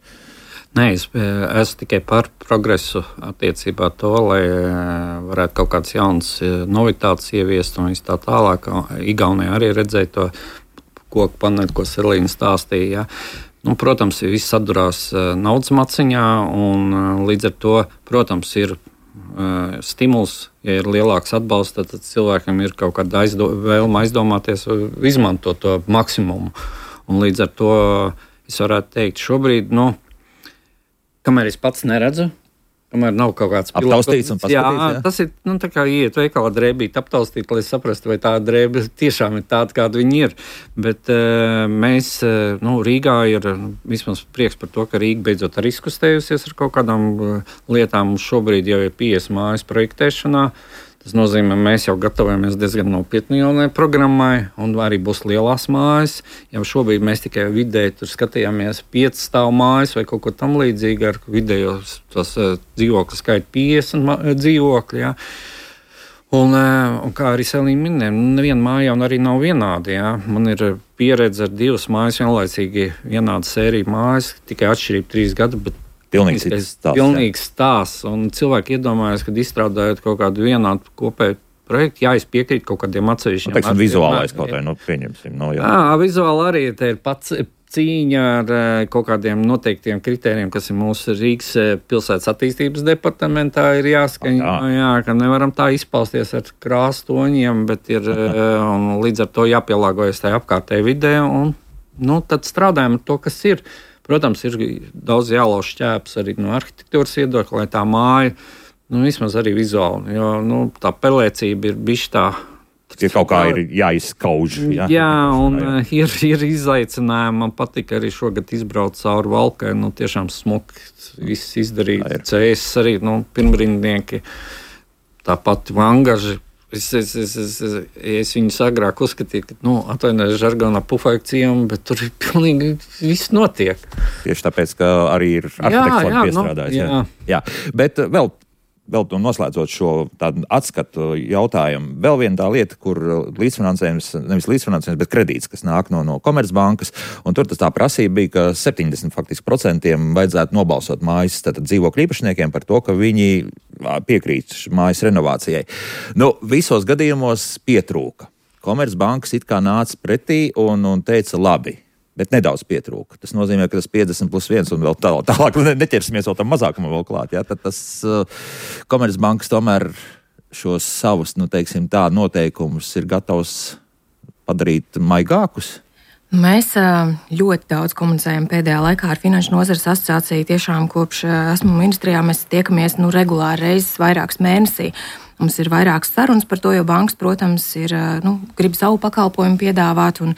Speaker 5: Nē, es esmu tikai par progresu attiecībā to, lai varētu kaut kādas jaunas novitātes ieviest un viss tā tālāk. Igaunijā arī redzēja to koku paneļu, ko Selīna stāstīja. Protams, viss sadurās naudas maciņā, un līdz ar to, protams, ir stimuls, ja ir lielāks atbalsts, tad cilvēkam ir kaut kāda vēlme aizdomāties, izmantot to maksimumu. Un līdz ar to es varētu teikt, šobrīd, kamēr es pats neredzu, kamēr nav kaut kāds
Speaker 1: aptaustīts un paskatīts.
Speaker 5: Tas ir tā kā iet veikalā drēbīt, aptaustīt, lai saprastu, vai tā drēbe tiešām ir tāda, kāda viņi ir. Bet mēs, Rīgā ir vismaz prieks par to, ka Rīga beidzot arī izkustējusies ar kaut kādām lietām. Šobrīd jau ir 50 mājas projektēšanā. Tas nozīmē, mēs jau gatavojamies diezgan nopietni jaunai programmai, un arī būs lielās mājas. Jau šobrīd mēs tikai vidēji tur skatījāmies 5 stāvu mājas vai kaut ko tam līdzīgu, ar vidējo tos dzīvokļu skaitu 50 dzīvokļi. Ja. Un kā arī Selīna minēja, neviena māja arī nav vienāda. Ja. Man ir pieredze ar 2 mājas vienlaicīgi vienāda sērija mājas, tikai atšķirība 3 gadu, bet pilnīgs stāsts. Un cilvēki iedomājas, kad izstrādājot kaut kādu vienādu kopēju projektu, es piekrītu kaut kādiem atsevišķiem.
Speaker 1: Teiksim, vizuālais kaut vai, pieņemsim.
Speaker 5: Vizuāli arī te ir pats cīņa ar kaut kādiem noteiktiem kritērijiem, kas ir mūsu Rīgas pilsētas attīstības departamentā, ir jāskaņo, ka nevaram tā izpausties ar krāstoņiem, bet ir un līdz ar to jāpielāgojas tai apkārtēji vidē, un tad strādājam ar to, kas ir. Protams, ir daudz jālauž šķēps arī no arhitektūras viedokļa, lai tā māja, vismaz arī vizuāli, jo tā pelēcība ir bišķi tā.
Speaker 1: Ja kaut kā ir jāizskauž.
Speaker 5: Jā, un ir izaicinājumi. Man patika arī šogad izbraukt cauri Valkai, tiešām smuki viss izdarīt. CS arī, pirmrindnieki, tāpat vangaži. Es viņus agrāk uzskatīju, ka, atvainojiet, žargonā pufaikcijām, bet tur ir pilnīgi viss notiek.
Speaker 1: Tieši tāpēc, ka arī ir arhitektūra piestrādājis. Jā. Bet vēl noslēdzot šo tādu atskatu jautājumu, vēl viena tā lieta, kur līdzfinansējums, nevis līdzfinansējums, bet kredīts, kas nāk no Komercbankas, un tur tā prasība bija, ka 70% vajadzētu nobalsot mājas dzīvokļu īpašniekiem par to, ka viņi piekrīt mājas renovācijai. Visos gadījumos pietrūka. Komercbankas it kā nāca pretī un teica labi. Bet nedaudz pietrūka. Tas nozīmē, ka tas 50+1 un vēl tālāk neķersimies vēl tam mazākumam vēl klāt. Ja? Tad tas Komercbankas tomēr šos savus, noteikumus ir gatavs padarīt maigākus.
Speaker 2: Mēs ļoti daudz komunicējam pēdējā laikā ar Finanšu nozares asociāciju. Tiešām kopš esmu ministrijā, mēs tiekamies regulāri reizes vairākas mēnesī. Mums ir vairākas sarunas par to, jo bankas, protams, grib savu pakalpojumu piedāvāt un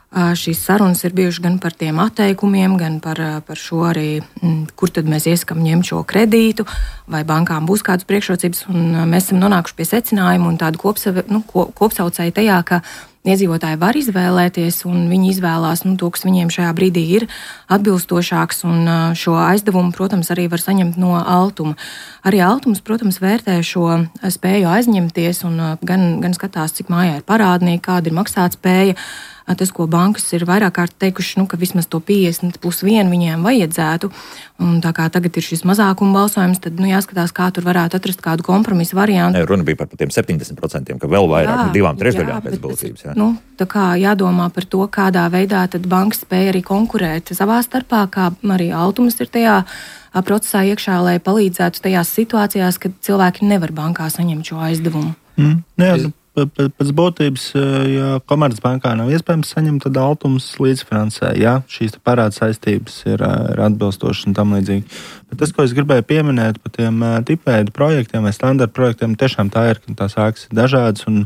Speaker 2: šīs sarunas ir bijušas gan par tiem atteikumiem, gan par šo arī, kur tad mēs ieskam ņemt šo kredītu, vai bankām būs kādas priekšrocības, un mēs esam nonākuši pie secinājuma un tādu kopsaucēju tajā, ka iedzīvotāji var izvēlēties, un viņi izvēlās to, kas viņiem šajā brīdī ir atbilstošāks, un šo aizdevumu, protams, arī var saņemt no Altuma. Arī Altums, protams, vērtē šo spēju aizņemties, un gan skatās, cik mājā ir parādnieki, kāda ir maksātspēja. Tas, ko bankas ir vairāk kārt teikuši, ka vismaz to 50+1 viņiem vajadzētu, un tā kā tagad ir šis mazākuma balsojums, tad jāskatās, kā tur varētu atrast kādu kompromisu variantu.
Speaker 1: Runa bija par tiem 70%, ka vēl vairāk, 2/3 pēc būtības.
Speaker 2: Tā kā jādomā par to, kādā veidā tad bankas spēja arī konkurēt savā starpā, kā arī Altums ir tajā procesā iekšā, lai palīdzētu tajās situācijās, kad cilvēki nevar bankā saņemt šo aizdevumu.
Speaker 4: Pēc būtības, ja Komercbankā nav iespējams saņemt, tad Altums līdzfinansē, ja šīs parāda saistības ir atbilstošas un tam līdzīgi. Bet tas, ko es gribēju pieminēt par tiem tipveidu projektiem vai standarta projektiem, tiešām tā ir, ka tās ēkas ir dažādas un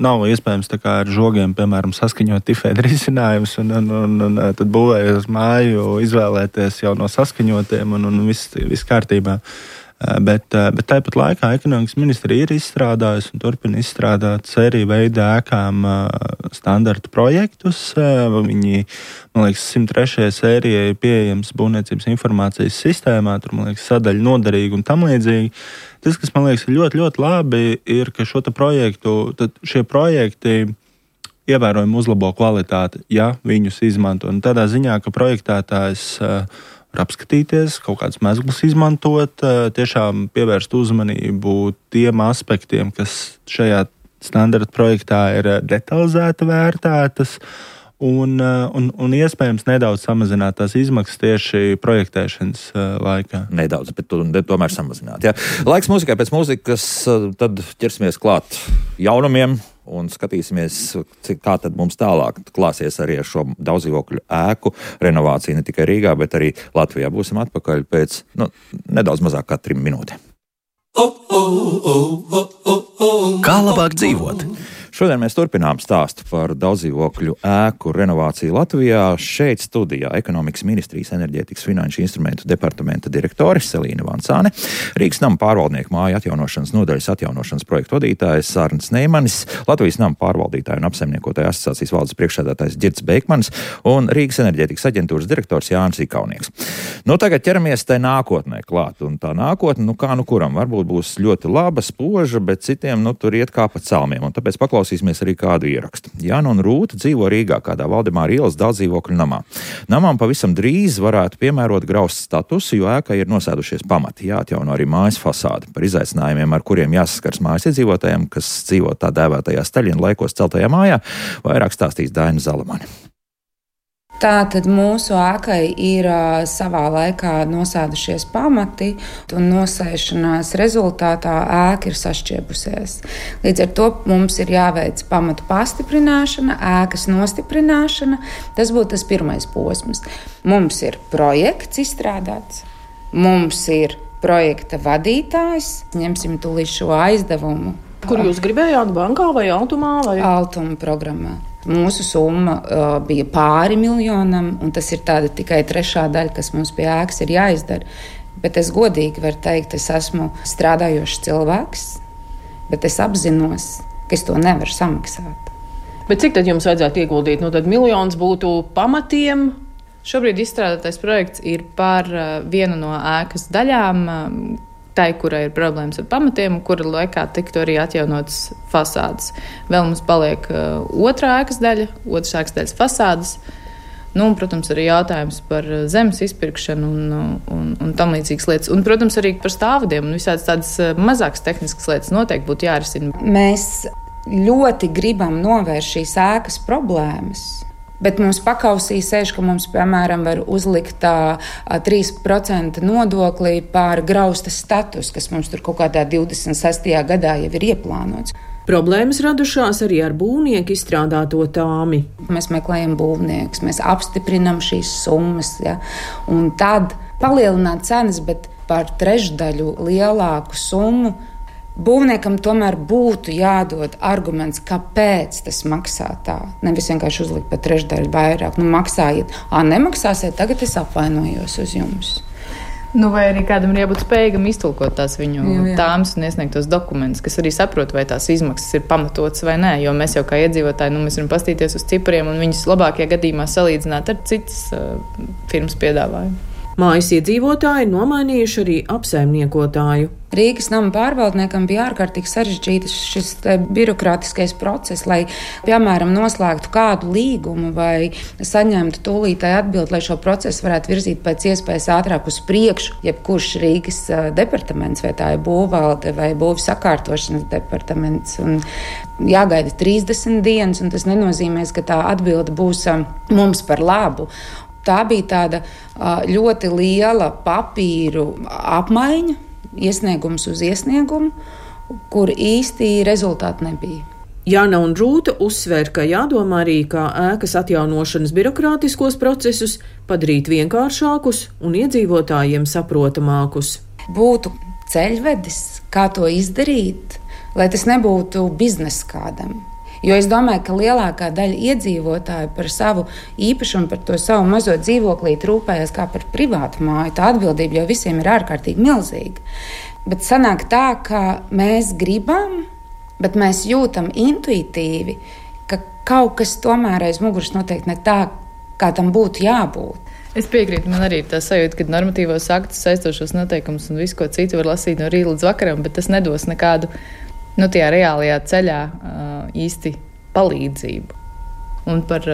Speaker 4: nav iespējams tā kā ar žogiem, piemēram, saskaņot tipveidu risinājumus un tad būvējot māju, izvēlēties jau no saskaņotiem un viss kārtībā. Bet tāpat laikā ekonomikas ministrija ir izstrādājusi un turpina izstrādāt sēriju veidā ēkām standarta projektus. Viņi, man liekas, 103. sērijai ir pieejams būvniecības informācijas sistēmā, tur, man liekas, sadaļa noderīga un tam līdzīgi. Tas, kas man liekas ir ļoti, ļoti labi, ir, ka šie projekti ievērojami uzlabo kvalitāti, ja viņus izmanto. Un tādā ziņā, ka projektētājs var apskatīties, kaut kādus mezglus izmantot, tiešām pievērst uzmanību tiem aspektiem, kas šajā standarta projektā ir detalizēti vērtētas, un iespējams nedaudz samazināt tās izmaksas tieši projektēšanas laikā.
Speaker 1: Nedaudz, bet tomēr samazināt. Jā. Laiks mūzikai, pēc mūzikas tad ķersimies klāt jaunumiem un skatīsimies, kā tad mums tālāk klāsies arī ar šo daudzdzīvokļu ēku renovāciju ne tikai Rīgā, bet arī Latvijā. Būsim atpakaļ pēc nedaudz mazāk kā 3 minūtēm.
Speaker 6: Kā labāk dzīvot?
Speaker 1: Šodien mēs turpinām stāstu par daudzdzīvokļu ēku renovāciju Latvijā. Šeit studijā Ekonomikas ministrijas enerģētikas finanšu instrumentu departamenta direktore Selīna Vancāne, Rīgas nama pārvaldnieku māju atjaunošanas nodaļas atjaunošanas projektu vadītājs Arnis Neimanis, Latvijas nama pārvaldītāju un apsaimniekotāju asociācijas valdes priekšsēdētājs Ģirds Beikmanis un Rīgas enerģētikas aģentūras direktors Jānis Ikaunieks. Tagad ķeramies tai nākotnē klāt, un tā nākotne, kā kuram, varbūt būs ļoti laba, spoža, bet citiem, tur iet kā pa celmiem, un tāpēc paklausīsimies arī kādu ierakstu. Jāna un Rūta dzīvo Rīgā kādā Valdemāra ielas daudzdzīvokļu namā. Namām pavisam drīz varētu piemērot grausts statusu, jo ēkai ir nosēdušies pamati. Jāatjauno arī mājas fasāde. Par izaicinājumiem, ar kuriem jāsaskars mājas iedzīvotājiem, kas dzīvo tā dēvētajā Staļina laikos celtajā mājā, vairāk stāstīs Daina Zalamane.
Speaker 7: Tātad mūsu ēkai ir savā laikā nosēdušies pamati, un nosēšanās rezultātā ēka ir sašķiebusies. Līdz ar to mums ir jāveic pamatu pastiprināšana, ēkas nostiprināšana. Tas būtu tas pirmais posms. Mums ir projekts izstrādāts, mums ir projekta vadītājs, ņemsim tūlīt šo aizdevumu.
Speaker 8: Kur jūs gribējāt, bankā vai Altumā?
Speaker 7: Altuma programmā. Mūsu summa bija pāri miljonam, un tas ir tāda tikai 3. daļa, kas mums pie ēkas ir jāizdara. Bet es godīgi varu teikt, es esmu strādājošs cilvēks, bet es apzinos, ka es to nevaru samaksāt.
Speaker 8: Bet cik tad jums vajadzētu ieguldīt? Tad 1 miljons būtu pamatiem.
Speaker 2: Šobrīd izstrādātais projekts ir par vienu no ēkas daļām, tai, kurai ir problēmas ar pamatiem, kura laikā tiktu arī atjaunotas fasādes. Vēl mums paliek otrā ēkas daļa, otras ēkas daļas fasādes. Un, protams, arī jautājums par zemes izpirkšanu un tam līdzīgas lietas. Un, protams, arī par stāvvadiem un visādas tādas mazākas tehniskas lietas noteikti būtu jārisina.
Speaker 7: Mēs ļoti gribam novērst šīs ēkas problēmas. Bet mums pakausī sēž, ka mums, piemēram, var uzlikt 3% nodokli pār grausta status, kas mums tur kaut kādā 26. gadā jau ir ieplānots.
Speaker 8: Problēmas radušās arī ar būvnieku izstrādāto tāmi.
Speaker 7: Mēs meklējam būvniekus, mēs apstiprinam šīs summas, ja? Un tad palielināt cenas, bet par 3/3 lielāku summu. Būvniekam tomēr būtu jādod arguments, kāpēc tas maksā tā. Nevis vienkārši uzlikt par 3/3 vairāk. Maksājiet, nemaksāsiet, tagad es apvainojos uz jums.
Speaker 2: Vai arī kādam ir jābūt spējīgam iztulkot tās viņu tāmas un iesniegt tos dokumentus, kas arī saprot, vai tās izmaksas ir pamatotas vai nē. Jo mēs jau kā iedzīvotāji, mēs varam pastīties uz cipriem un viņus labākajā gadījumā salīdzināt ar citas firmas piedāvājumu.
Speaker 8: Mājas iedzīvotāji nomainījuši arī apsaimniekotāju.
Speaker 7: Rīgas nama pārvaldniekam bija ārkārtīgi sarežģīts šis birokrātiskais process, lai, piemēram, noslēgtu kādu līgumu vai saņemtu tūlītēju atbildi, lai šo procesu varētu virzīt pēc iespējas ātrāk uz priekšu. Jebkurš Rīgas departaments, vai tā ir būvvalde vai būvju sakārtošanas departaments, un jāgaida 30 dienas, un tas nenozīmē, ka tā atbilde būs mums par labu. Tā bija tāda ļoti liela papīru apmaiņa, iesniegums uz iesniegumu, kur īsti rezultāti nebija.
Speaker 8: Jāna un Rūta uzsver, ka jādomā arī, kā ēkas atjaunošanas birokrātiskos procesus padarīt vienkāršākus un iedzīvotājiem saprotamākus.
Speaker 7: Būtu ceļvedis, kā to izdarīt, lai tas nebūtu biznesa kādam. Jo es domāju, ka lielākā daļa iedzīvotāju par savu īpašumu, par to savu mazo dzīvoklīti rūpējas kā par privātu māju. Tā atbildība jau visiem ir ārkārtīgi milzīga. Bet sanāk tā, ka mēs gribam, bet mēs jūtam intuitīvi, ka kaut kas tomēr aiz muguras noteikti ne tā, kā tam būtu jābūt.
Speaker 2: Es piekrītu, man arī ir tā sajūta, ka normatīvos aktus, saistošos noteikumus un visu ko citu var lasīt no rīta līdz vakaram, bet tas nedos nekādu tajā reālajā ceļā īsti palīdzību. Un par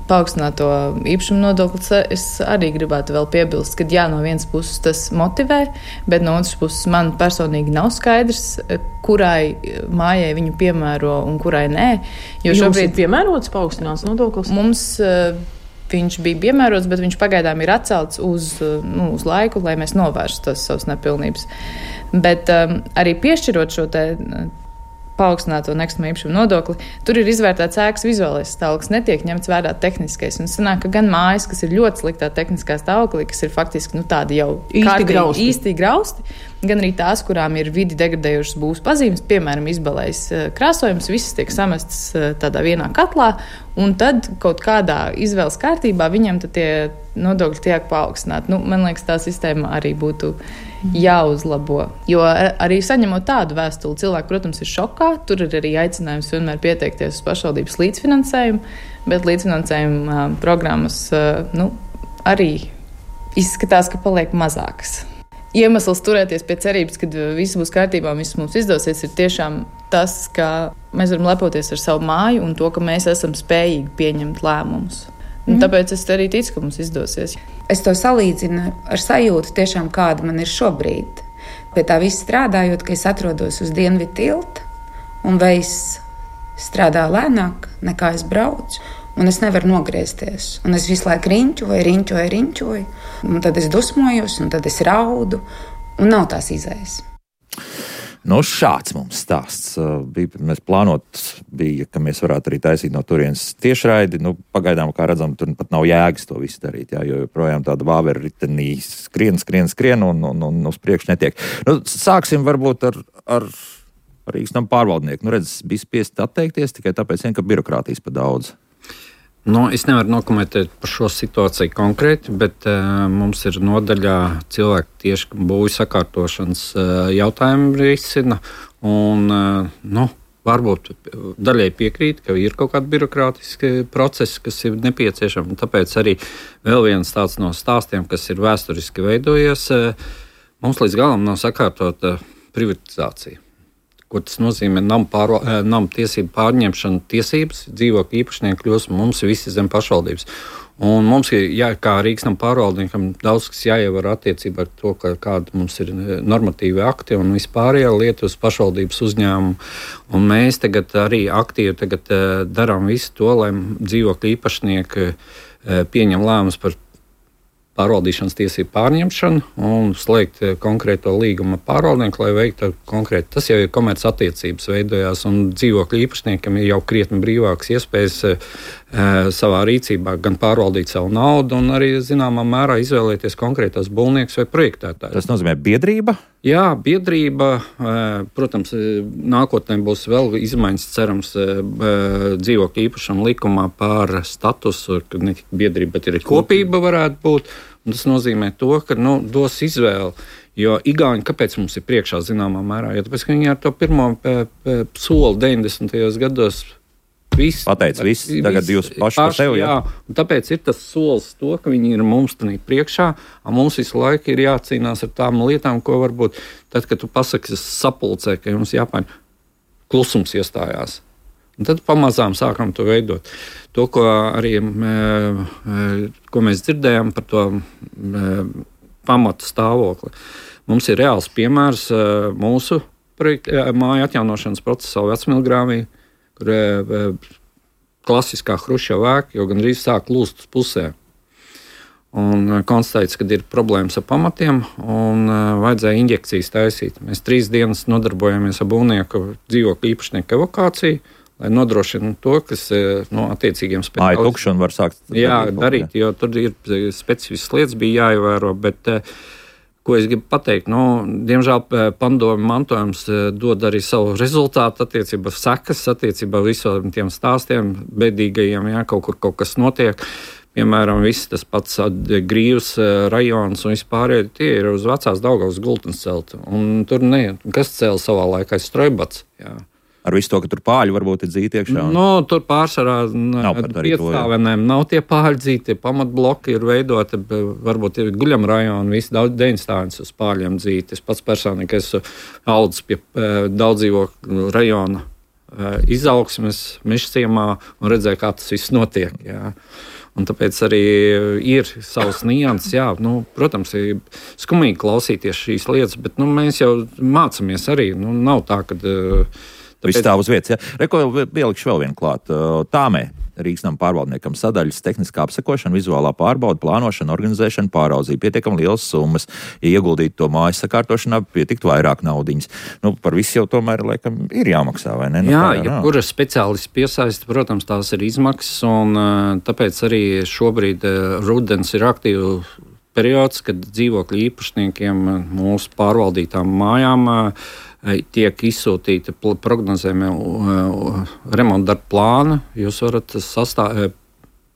Speaker 9: paaugstināto īpašumu nodokli es arī gribētu vēl piebilst, ka no vienas puses tas motivē, bet no otras puses man personīgi nav skaidrs, kurai mājai viņu piemēro un kurai nē.
Speaker 8: Jo šobrīd ir piemērots paaugstināts nodoklis?
Speaker 9: Mums viņš bija piemērots, bet viņš pagaidām ir atcelts uz laiku, lai mēs novērstu tās savas nepilnības. Bet arī piešķirot šo te paaugstināto nekustamā īpašuma nodokli, tur ir izvērtēts ēkas vizuālais stāvoklis, netiek ņemts vērā tehniskais. Un sanāk, ka gan mājas, kas ir ļoti sliktā tehniskā stāvoklī, kas ir faktiski tādi jau īsti grausti, gan arī tās, kurām ir vidi degradējušas būvs pazīmes, piemēram, izbalējis krāsojums, visas tiek samestas tādā vienā katlā, un tad kaut kādā izvēles kārtībā viņam tie nodokļi tiek paaugstināti. Man liekas, tā sistēma arī būtu jāuzlabo. Jo arī saņemot tādu vēstuli, cilvēki, protams, ir šokā. Tur ir arī aicinājums vienmēr pieteikties uz pašvaldības līdzfinansējumu, bet līdzfinansējuma programmas arī izskatās, ka paliek mazākas. Iemesls turēties pie cerības, ka viss būs kārtībā un viss mums izdosies, ir tiešām tas, ka mēs varam lepoties ar savu māju un to, ka mēs esam spējīgi pieņemt lēmumus. Tāpēc es arī ticu, ka mums izdosies.
Speaker 7: Es to salīdzinu ar sajūtu, tiešām, kāda man ir šobrīd. Pie tā viss strādājot, ka es atrodos uz Dienvidu tilta un veiss strādā lēnāk nekā es braucu. Un es nevaru nogriezties. Un es visu laiku riņķoju. Un tad es dusmojos, un tad es raudu. Un nav tās izējas.
Speaker 1: Šāds mums stāsts bija. Mēs plānot bija, ka mēs varētu arī taisīt no turienes tiešraidi. Pagaidām, kā redzam, tur pat nav jēgas to visu darīt, jo joprojām tāda vāvera ritenī skrien un uz priekšu netiek. Sāksim varbūt ar Rīgas nama pārvaldnieku. Bija spiest atteikties tikai tāpēc, ka birokrātijas pa daudz.
Speaker 5: Es nevaru nokomentēt par šo situāciju konkrēti, bet mums ir nodaļā cilvēki tieši būvju sakārtošanas jautājumu risina. Varbūt daļai piekrīt, ka ir kaut kādi birokrātiski procesi, kas ir nepieciešami. Tāpēc arī vēl viens tāds no stāstiem, kas ir vēsturiski veidojies, mums līdz galam nav sakārtota privatizācija. Ko tas nozīmē? Nama tiesību pārņemšana tiesības, dzīvokļu īpašnieki kļūst mums visi zem pašvaldības. Un mums ir, kā Rīgas nama pārvaldniekam, daudz kas jāievar attiecībā ar to, kāda mums ir normatīvi akti un vispārējā lieta uz pašvaldības uzņēmumu. Un mēs tagad arī aktīvi darām visu to, lai dzīvokļu īpašnieki pieņem lēmumus par pārvaldīšanas tiesību pārņemšanu un slēgt konkrēto līgumu pārvaldnieku, lai veiktu konkrēti. Tas jau ir komerc attiecības veidojās, un dzīvokļu īpašniekam ir jau krietni brīvākas iespējas savā rīcībā gan pārvaldīt savu naudu, un arī zināmā mērā izvēlēties konkrētos būvniekus vai projektētājus.
Speaker 1: Tas nozīmē biedrība?
Speaker 5: Jā, biedrība. Protams, nākotnē būs vēl izmaiņas, cerams, dzīvokļu īpašuma likumā par statusu, ka ne tikai biedrība, bet arī kopība varētu būt. Un tas nozīmē to, ka dos izvēli. Jo Igauņi, kāpēc mums ir priekšā zināmā mērā? Jo tāpēc, ka viņi ar to pirmo soli 90. gados
Speaker 1: pateica viss, tagad jūs paši par sevi.
Speaker 5: Jā, un tāpēc ir tas solis to, ka viņi ir mums tanī priekšā, un mums visu laiku ir jācīnās ar tām lietām, ko varbūt tad, kad tu pasaki sapulcē, ka jums jāpaņem, klusums iestājās. Un tad pamazām sākam to veidot. To, ko arī ko mēs dzirdējām par to pamatu stāvokli. Mums ir reāls piemērs mūsu māju atjaunošanas procesā Vecmilgrāvī, kur klasiskā Hruščova ēka jau gandrīz sāk lūst uz pusē. Un konstatēts, ka ir problēmas ar pamatiem un vajadzēja injekcijas taisīt. Mēs 3 dienas nodarbojamies ar būvnieku dzīvokļu īpašnieku evakāciju, lai nodrošinātu to, kas attiecīgiem
Speaker 1: speciālistiem. Māja tukšana var sākt
Speaker 5: darīt, jo tur ir specifiskas lietas bija jāievēro, bet ko es gribu pateikt, diemžēl padomu mantojums dod arī savu rezultātu attiecībā sekas, attiecībā visiem tiem stāstiem bēdīgajiem, kaut kas notiek. Piemēram, viss tas pats Grīvas rajons un vispārējie, tie ir uz vecās Daugavas gultnes celti. Un tur kas cēla savā laikā Strojbats, jā.
Speaker 1: Ar visu to, ka tur pāļi varbūt ir dzīti iekšā?
Speaker 5: Tur pārsvarā piecstāvenēm nav tie pāļi dzīti, tie pamatbloki ir veidoti, varbūt ir guļam rajoni, visi 9 uz pāļiem dzīti. Es pats personīgi esmu audzis pie daudzdzīvokļu rajona izaugsmes Mežciemā un redzēju, kā tas viss notiek. Jā. Un tāpēc arī ir savs nianses. Protams, ir skumīgi klausīties šīs lietas, bet mēs jau mācāmies arī. Nav tā, ka
Speaker 1: viss stāv uz vietas. Reko ielikšu vēl vienu klāt. Tāmē Rīgas nama pārvaldniekam sadaļas tehniskā apsekošana, vizuālā pārbauda, plānošana, organizēšana, pāraudzība. Pietiekami lielas summas. Ja ieguldītu to mājas sakārtošanā, pietiktu vairāk naudiņas. Par visu jau tomēr, laikam, ir jāmaksā, vai ne?
Speaker 5: Kura speciālists piesaista, protams, tās ir izmaksas, un tāpēc arī šobrīd rudens ir aktīvu periods, kad dzīvokļu īpašniekiem mūsu pārvaldītām mājām tiek izsūtīta prognozējuma remonta darba plāna. Jūs varat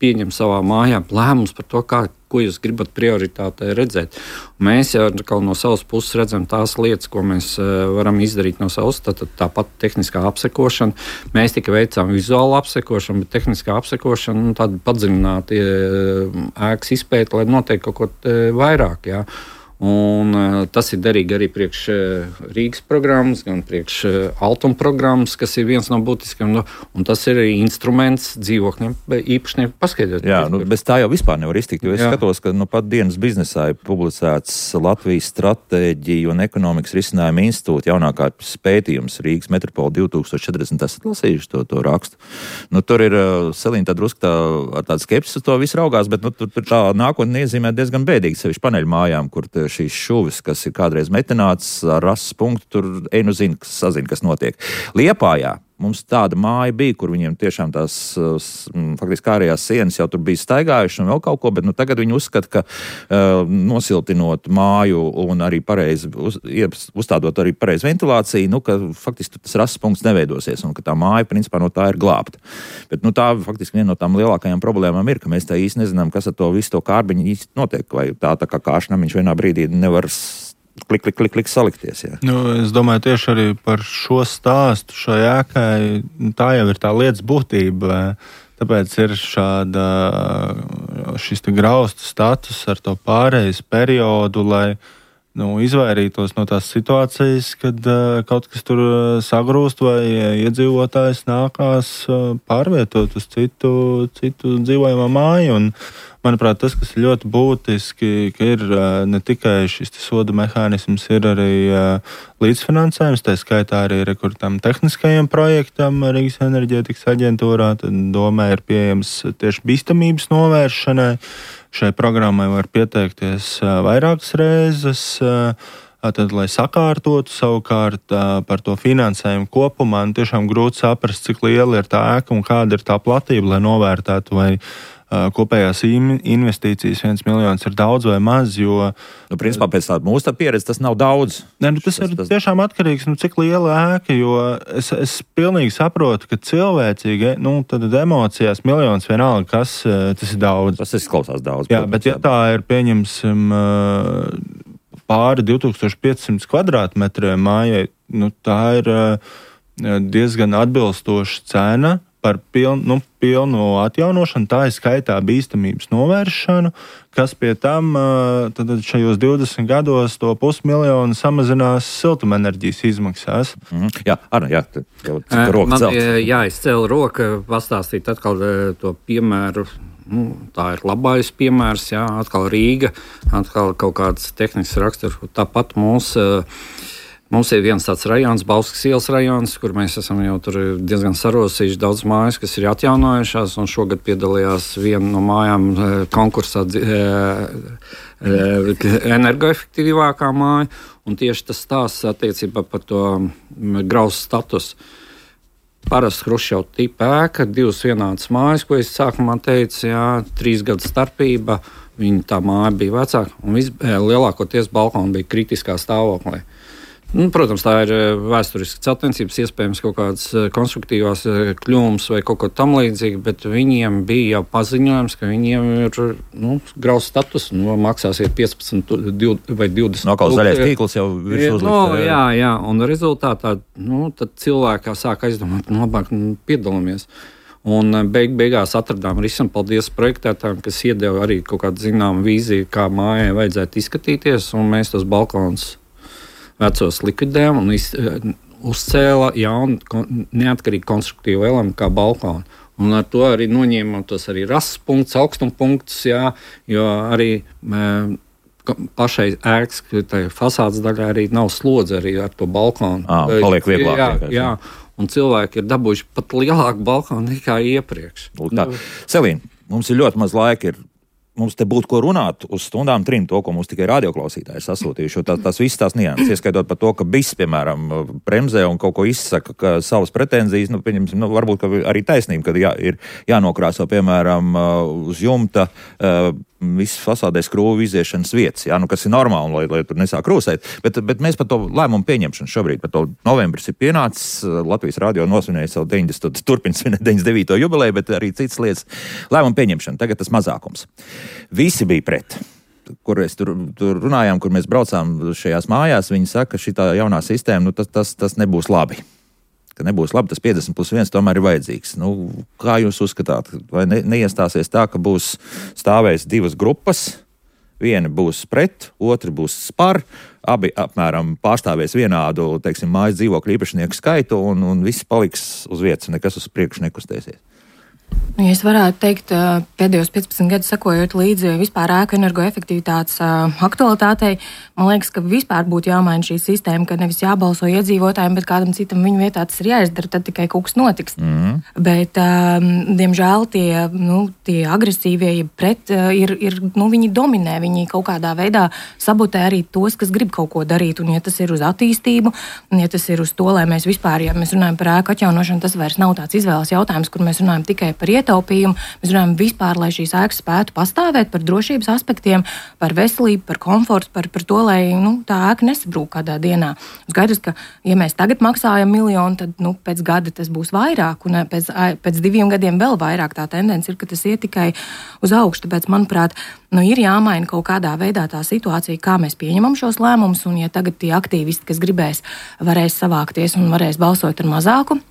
Speaker 5: pieņemt savā mājā lēmumus par to, ko jūs gribat prioritātē redzēt. Mēs jau no savas puses redzam tās lietas, ko mēs varam izdarīt no savas, tāpat tehniskā apsekošana. Mēs tikai veicām vizuālu apsekošanu, bet tehniskā apsekošana tāda padziļināta ēkas izpēta, lai notiek kaut ko vairāk. Jā. Un tas ir derīgi arī priekš Rīgas programmas, gan priekš Altuma programmas, kas ir viens no būtiskiem. Un tas ir arī instruments dzīvokļiem īpašnieku paskaidrot.
Speaker 1: Jā, bez tā jau vispār nevar iztikt, jo es skatos, ka pat dienas biznesā ir publicēts Latvijas stratēģiju un ekonomikas risinājuma institūta jaunākais pētījums Rīgas metropola 2040. Esat lasījuši to rakstu. Tur ir Selīna tā drusku ar tādu skepsi uz to visu raugās, bet tur tā nākotne iezīmē diezgan bēdīgi, sevišķi paneļu mājām, kur šīs šuvis, kas ir kādreiz metināts ar rases punktu, tur sazina, kas notiek. Liepājā mums tāda māja bija, kur viņiem tiešām tās faktiski ārējās sienas jau tur bija staigājuši un vēl kaut ko, bet tagad viņi uzskata, ka nosiltinot māju un arī pareizi uzstādot arī pareizi ventilāciju, ka faktiski tas rases punkts neveidosies un ka tā māja principā no tā ir glābta. Bet tā faktiski viena no tām lielākajām problēmām ir, ka mēs tā īsti nezinām, kas ar to visu to kārbiņu īsti notiek, vai tā kā kāršnamiņš vienā brīdī nevar klik salikties. Jā.
Speaker 4: Es domāju tieši arī par šo stāstu, šo ēkai, tā jau ir tā lietas būtība. Tāpēc ir šis graustu status ar to pārejas periodu, lai izvairītos no tās situācijas, kad kaut kas tur sagrūst vai iedzīvotājs nākās pārvietot uz citu dzīvojamā māju. Un, manuprāt, tas, kas ir ļoti būtiski, ka ir ne tikai šis soda mehānisms, ir arī līdzfinansējums, tā skaitā arī tam tehniskajam projektam Rīgas enerģētikas aģentūrā. Tad domē ir pieejams tieši bīstamības novēršanai. Šai programmai var pieteikties vairākas reizes. Tad, lai sakārtotu savukārt par to finansējumu kopumā, tiešām grūti saprast, cik liela ir tā ēka un kāda ir tā platība, lai novērtētu, vai kopējās investīcijas 1 miljons ir daudz vai maz, jo...
Speaker 1: Principā pēc tāda mūsu pieredze tas nav daudz.
Speaker 4: Tas ir tiešām atkarīgs, cik liela ēka, jo es pilnīgi saprotu, ka cilvēcīgi, tad emocijās miljons vienalga, kas tas ir daudz.
Speaker 1: Tas izklausās daudz.
Speaker 4: Jā, bet ja tā ir, pieņemsim, pāri 2500 kvadrātmetriem mājai, tā ir diezgan atbilstoša cena par pilnu atjaunošanu, tā ir skaitā bīstamības novēršanu, kas pie tam tad šajos 20 gados to 500 000 samazinās siltumenerģijas izmaksās.
Speaker 1: Jā, Arna,
Speaker 5: man jāizcēla roka pastāstīt atkal to piemēru. Tā ir labais piemērs, atkal Rīga, atkal kaut kāds tehnisks raksturs. Tāpat mums ir viens tāds rajons, Bauskas ielas rajons, kur mēs esam jau tur diezgan sarosījuši daudz mājas, kas ir atjaunojušās, un šogad piedalījās viena no mājām konkursā energoefektīvākā māja, un tieši tas stāsts attiecībā par to graustu statusu. Parasti Hruščova tipa ēka, 2 vienādas mājas, ko es sākumā teicu, 3 gadu starpība, tā māja bija vecāka, un lielākoties balkoni bija kritiskā stāvoklī. Protams, tā ir vēsturiska celtniecības, iespējams kaut kādas konstruktīvās kļūmes vai kaut ko tam līdzīgi, bet viņiem bija jau paziņojums, ka viņiem ir graustu status, maksāsiet 15 vai 20.
Speaker 1: Nokal zaļais tīkls jau virs uzlikt.
Speaker 5: Jā, un rezultātā tad cilvēkā sāk aizdomāt, labāk piedalāmies. Un beigās atradām risinājumu, paldies projektētājiem, kas iedeva arī kaut kādu zināmu vīziju, kā mājai vajadzētu izskatīties, un mēs tos balkonus vecos likvidējām uzcēla jaunu, neatkarīgu konstruktīvu elementu kā balkonu. Un ar to arī noņēmām tos arī rases punktus, augstuma punktus, jo arī pašai ēkas fasādes daļā arī nav slodze arī ar to balkonu.
Speaker 1: Paliek vieglāk.
Speaker 5: Jā. Un cilvēki ir dabūjuši pat lielāku balkonu nekā iepriekš.
Speaker 1: Selīna, mums ir ļoti maz laika. Mums te būtu ko runāt uz stundām 3, to, ko mums tikai radioklausītāji sasūtījuši. Tas viss tās nianses, ieskaitot par to, ka BIS, piemēram, bremzē un kaut ko izsaka savas pretenzijas, varbūt arī taisnība, kad ir jānokrāso, piemēram, uz jumta visas fasādē skrūvu iziešanas vietas, kas ir normāli, lai tur nesāk krūsēt. Bet mēs par to lēmumu pieņemšanu šobrīd, par to novembris ir pienācis, Latvijas radio nosvinēja savu 90, turpin svinēt 99. jubileju, bet arī citas lietas. Lēmumu pieņemšana, tagad tas mazākums. Visi bija pret, kur mēs tur runājām, kur mēs braucām šajās mājās. Viņi saka, ka šitā jaunā sistēma, tas nebūs labi. Ka nebūs labi, tas 50+1 tomēr ir vajadzīgs. Kā jūs uzskatāt? Vai neiestāsies tā, ka būs stāvēs 2 grupas, viena būs pret, otra būs par, abi apmēram pārstāvēs vienādu, mājas dzīvokļu īpašnieku skaitu un viss paliks uz vietas, nekas uz priekšu nekustēsies?
Speaker 2: Ja es varētu teikt, pēdējos 15 gadus sekojot līdzi vispār ēku energoefektivitātes aktualitātei, man liekas, ka vispār būtu jāmaina šī sistēma, ka nevis jābalso iedzīvotājiem, bet kādam citam viņu vietā tas ir jāizdara, tad tikai kaut kas notiks. Bet, diemžēl, tie agresīvie pret viņi dominē, viņi kaut kādā veidā sabotē arī tos, kas grib kaut ko darīt, un ja tas ir uz attīstību, un ja tas ir uz to, lai mēs vispār, ja mēs runājam par ēku atjaunošanu, tas vairs nav tāds izvēles jautājums, kur mēs runājam tikai par ietaupījumu, mēs runājam vispār, lai šīs ēkas spētu pastāvēt, par drošības aspektiem, par veselību, par komfortu, par to, lai tā ēka nesabrūk kādā dienā. Skaidrs, ka, ja mēs tagad maksājam 1 miljonu, tad pēc gada tas būs vairāk, un pēc 2 gadiem vēl vairāk. Tā tendence ir, ka tas iet tikai uz augšu. Tāpēc, manuprāt, ir jāmaina kaut kādā veidā tā situācija, kā mēs pieņemam šos lēmumus, un ja tagad tie aktīvisti, kas gribēs, varēs savākties un varēs balsot ar mazāku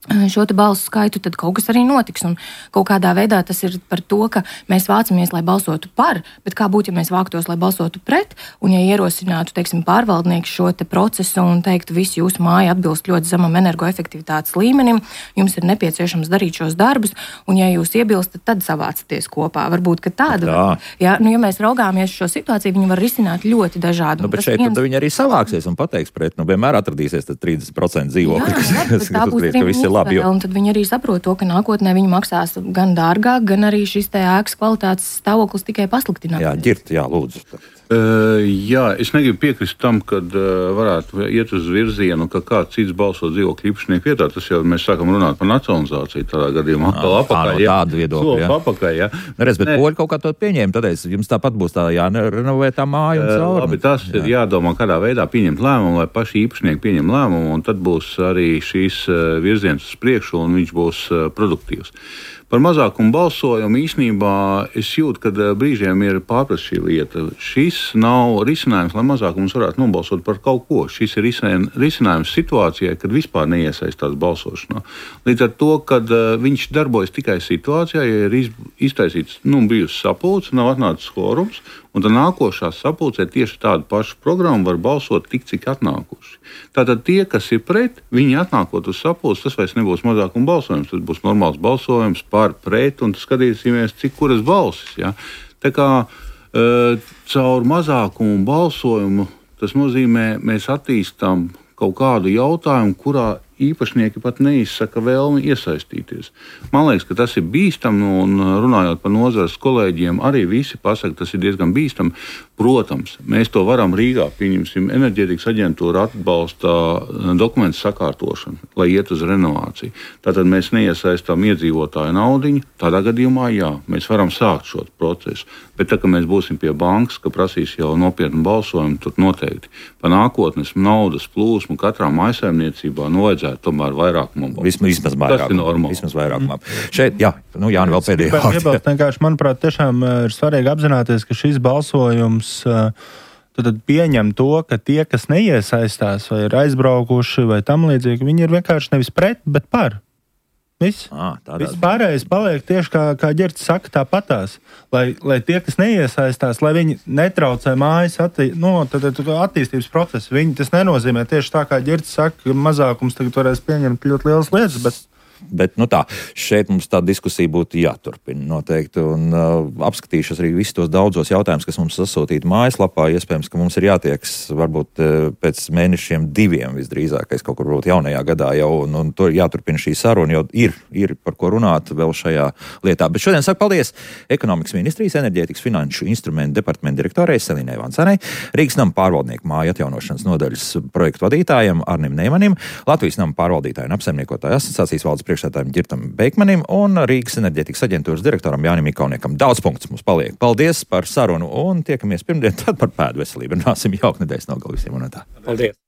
Speaker 2: šo te balsu skaitu, tad kaut kas arī notiks. Un kaut kādā veidā tas ir par to, ka mēs vācamies, lai balsotu par, bet kā būtu, ja mēs vāktos, lai balsotu pret, un ja ierosinātu, pārvaldnieks šo te procesu un teiktu, visi jūsu māja atbilst ļoti zemam energoefektivitātes līmenim, jums ir nepieciešams darīt šos darbus, un ja jūs iebilstat, tad savācaties kopā. Varbūt, ka tāda, ja mēs raugāmies šo situāciju, viņi var risināt ļoti dažādi.
Speaker 1: Bet šeit tad viņi arī savāksies un pateiks pret, vienmēr atradīsies tad 30% dzīvokļi, kas uzskatīt, ka viss ir labi.
Speaker 2: Un tad viņi arī saprot to, ka nākotnē viņi maksās gan dārgāk, gan arī šis te ēkas kvalitātes stāvoklis tikai pasliktinās.
Speaker 1: Lūdzu.
Speaker 3: Es negribu piekrist tam, kad varētu iet uz virzienu, ka kāds cits balso dzīvokļu īpašnieku vietā. Tas jau mēs sākam runāt par nacionalizāciju tādā gadījumā.
Speaker 1: Tādu viedokļu,
Speaker 3: bet
Speaker 1: poļi kaut kā to pieņēma, tad jums tāpat būs tā jārenovē tā māja un cauri.
Speaker 3: Labi, tas ir jādomā, kādā veidā pieņemt lēmumu, lai paši īpašnieki pieņem lēmumu, un tad būs arī šīs virziens uz priekšu, un viņš būs produktīvs. Par mazākumu balsojumu īstenībā es jūtu, ka brīžiem ir pārprast šī lieta. Šis nav risinājums, lai mazākums varētu nobalsot par kaut ko. Šis ir risinājums situācijai, kad vispār neiesaistās balsošanā. Līdz ar to, kad viņš darbojas tikai situācijā, ja ir iztaisīts, bijusi sapulce, nav atnācis kvorums, un tad nākošā sapulcē tieši tādu pašu programmu var balsot tik, cik atnākuši. Tātad tie, kas ir pret, viņi atnākot uz sapulci, tas vairs nebūs mazākuma balsojums, tas būs normāls balsojums par pret, un skatīsimies, cik kuras balsis. Ja? Tā kā caur mazākumu balsojumu, tas nozīmē, mēs attīstām kaut kādu jautājumu, kurā īpašnieki pat neizsaka vēlmi iesaistīties. Man liekas, ka tas ir bīstami, un runājot par nozares kolēģiem, arī visi pasaka, tas ir diezgan bīstami. Protams, mēs to varam Rīgā, pieņemsim, enerģētikas aģentūra atbalsta dokumentu sakārtošanu, lai iet uz renovāciju. Tātad mēs neiesaistām iedzīvotāju naudiņu, tādā gadījumā jā, mēs varam sākt šo procesu. Bet tā, ka mēs būsim pie bankas, ka prasīs jau nopietnu balsojumu, tur noteikti pa nākotnes naudas plūsmu katrā mājsaimniecībā vajadzētu tomēr vairākumam.
Speaker 1: Vismaz vairākumam.
Speaker 3: Tas ir normāli.
Speaker 1: Vismaz vairākumam. Šeit, Jāni, vēl pēdējā.
Speaker 4: Vienkārši, manuprāt, tiešām ir svarīgi apzināties, ka šis balsojums tad pieņem to, ka tie, kas neiesaistās vai ir aizbraukuši vai tam līdzīgi, viņi ir vienkārši nevis pret, bet par. Viss.
Speaker 1: Viss
Speaker 4: pārējais paliek tieši kā Ģerts saka, tāpatās. Lai tie, kas neiesaistās, lai viņi netraucē mājas attīstības procesu. Tas nenozīmē tieši tā, kā Ģerts saka, ka mazākums tagad varēs pieņemt ļoti lielas lietas,
Speaker 1: Bet šeit mums tā diskusija būtu jāturpina noteikti. Un apskatīšos arī visus tos daudzos jautājumus, kas mums sasūtīti mājaslapā. Iespējams, ka mums ir jātieks varbūt pēc mēnešiem 2 visdrīzākais kaut kur varbūt jaunajā gadā jau. Un tur jāturpina šī saruna, jo ir par ko runāt vēl šajā lietā. Bet šodien saku paldies Ekonomikas ministrijas enerģētikas finanšu instrumentu departamenta direktorei Selīnai Vancanai, Rīgas nama pārvaldnieku māju atjaunošanas nodaļas projektu vadītājam Arnim Neimanim, Latvijas nama pārvaldītāju un apsaimniekotāju asociācijas valdes priekšsēdētājam Ģirtam Beikmanim un Rīgas enerģētikas aģentūras direktoram Jānim Ikauniekam. Daudz punktus mums paliek. Paldies par sarunu un tiekamies pirmdien, tad par pēdu veselību. Runāsim jauku nedēļas nogalu visiem un tā.
Speaker 5: Paldies!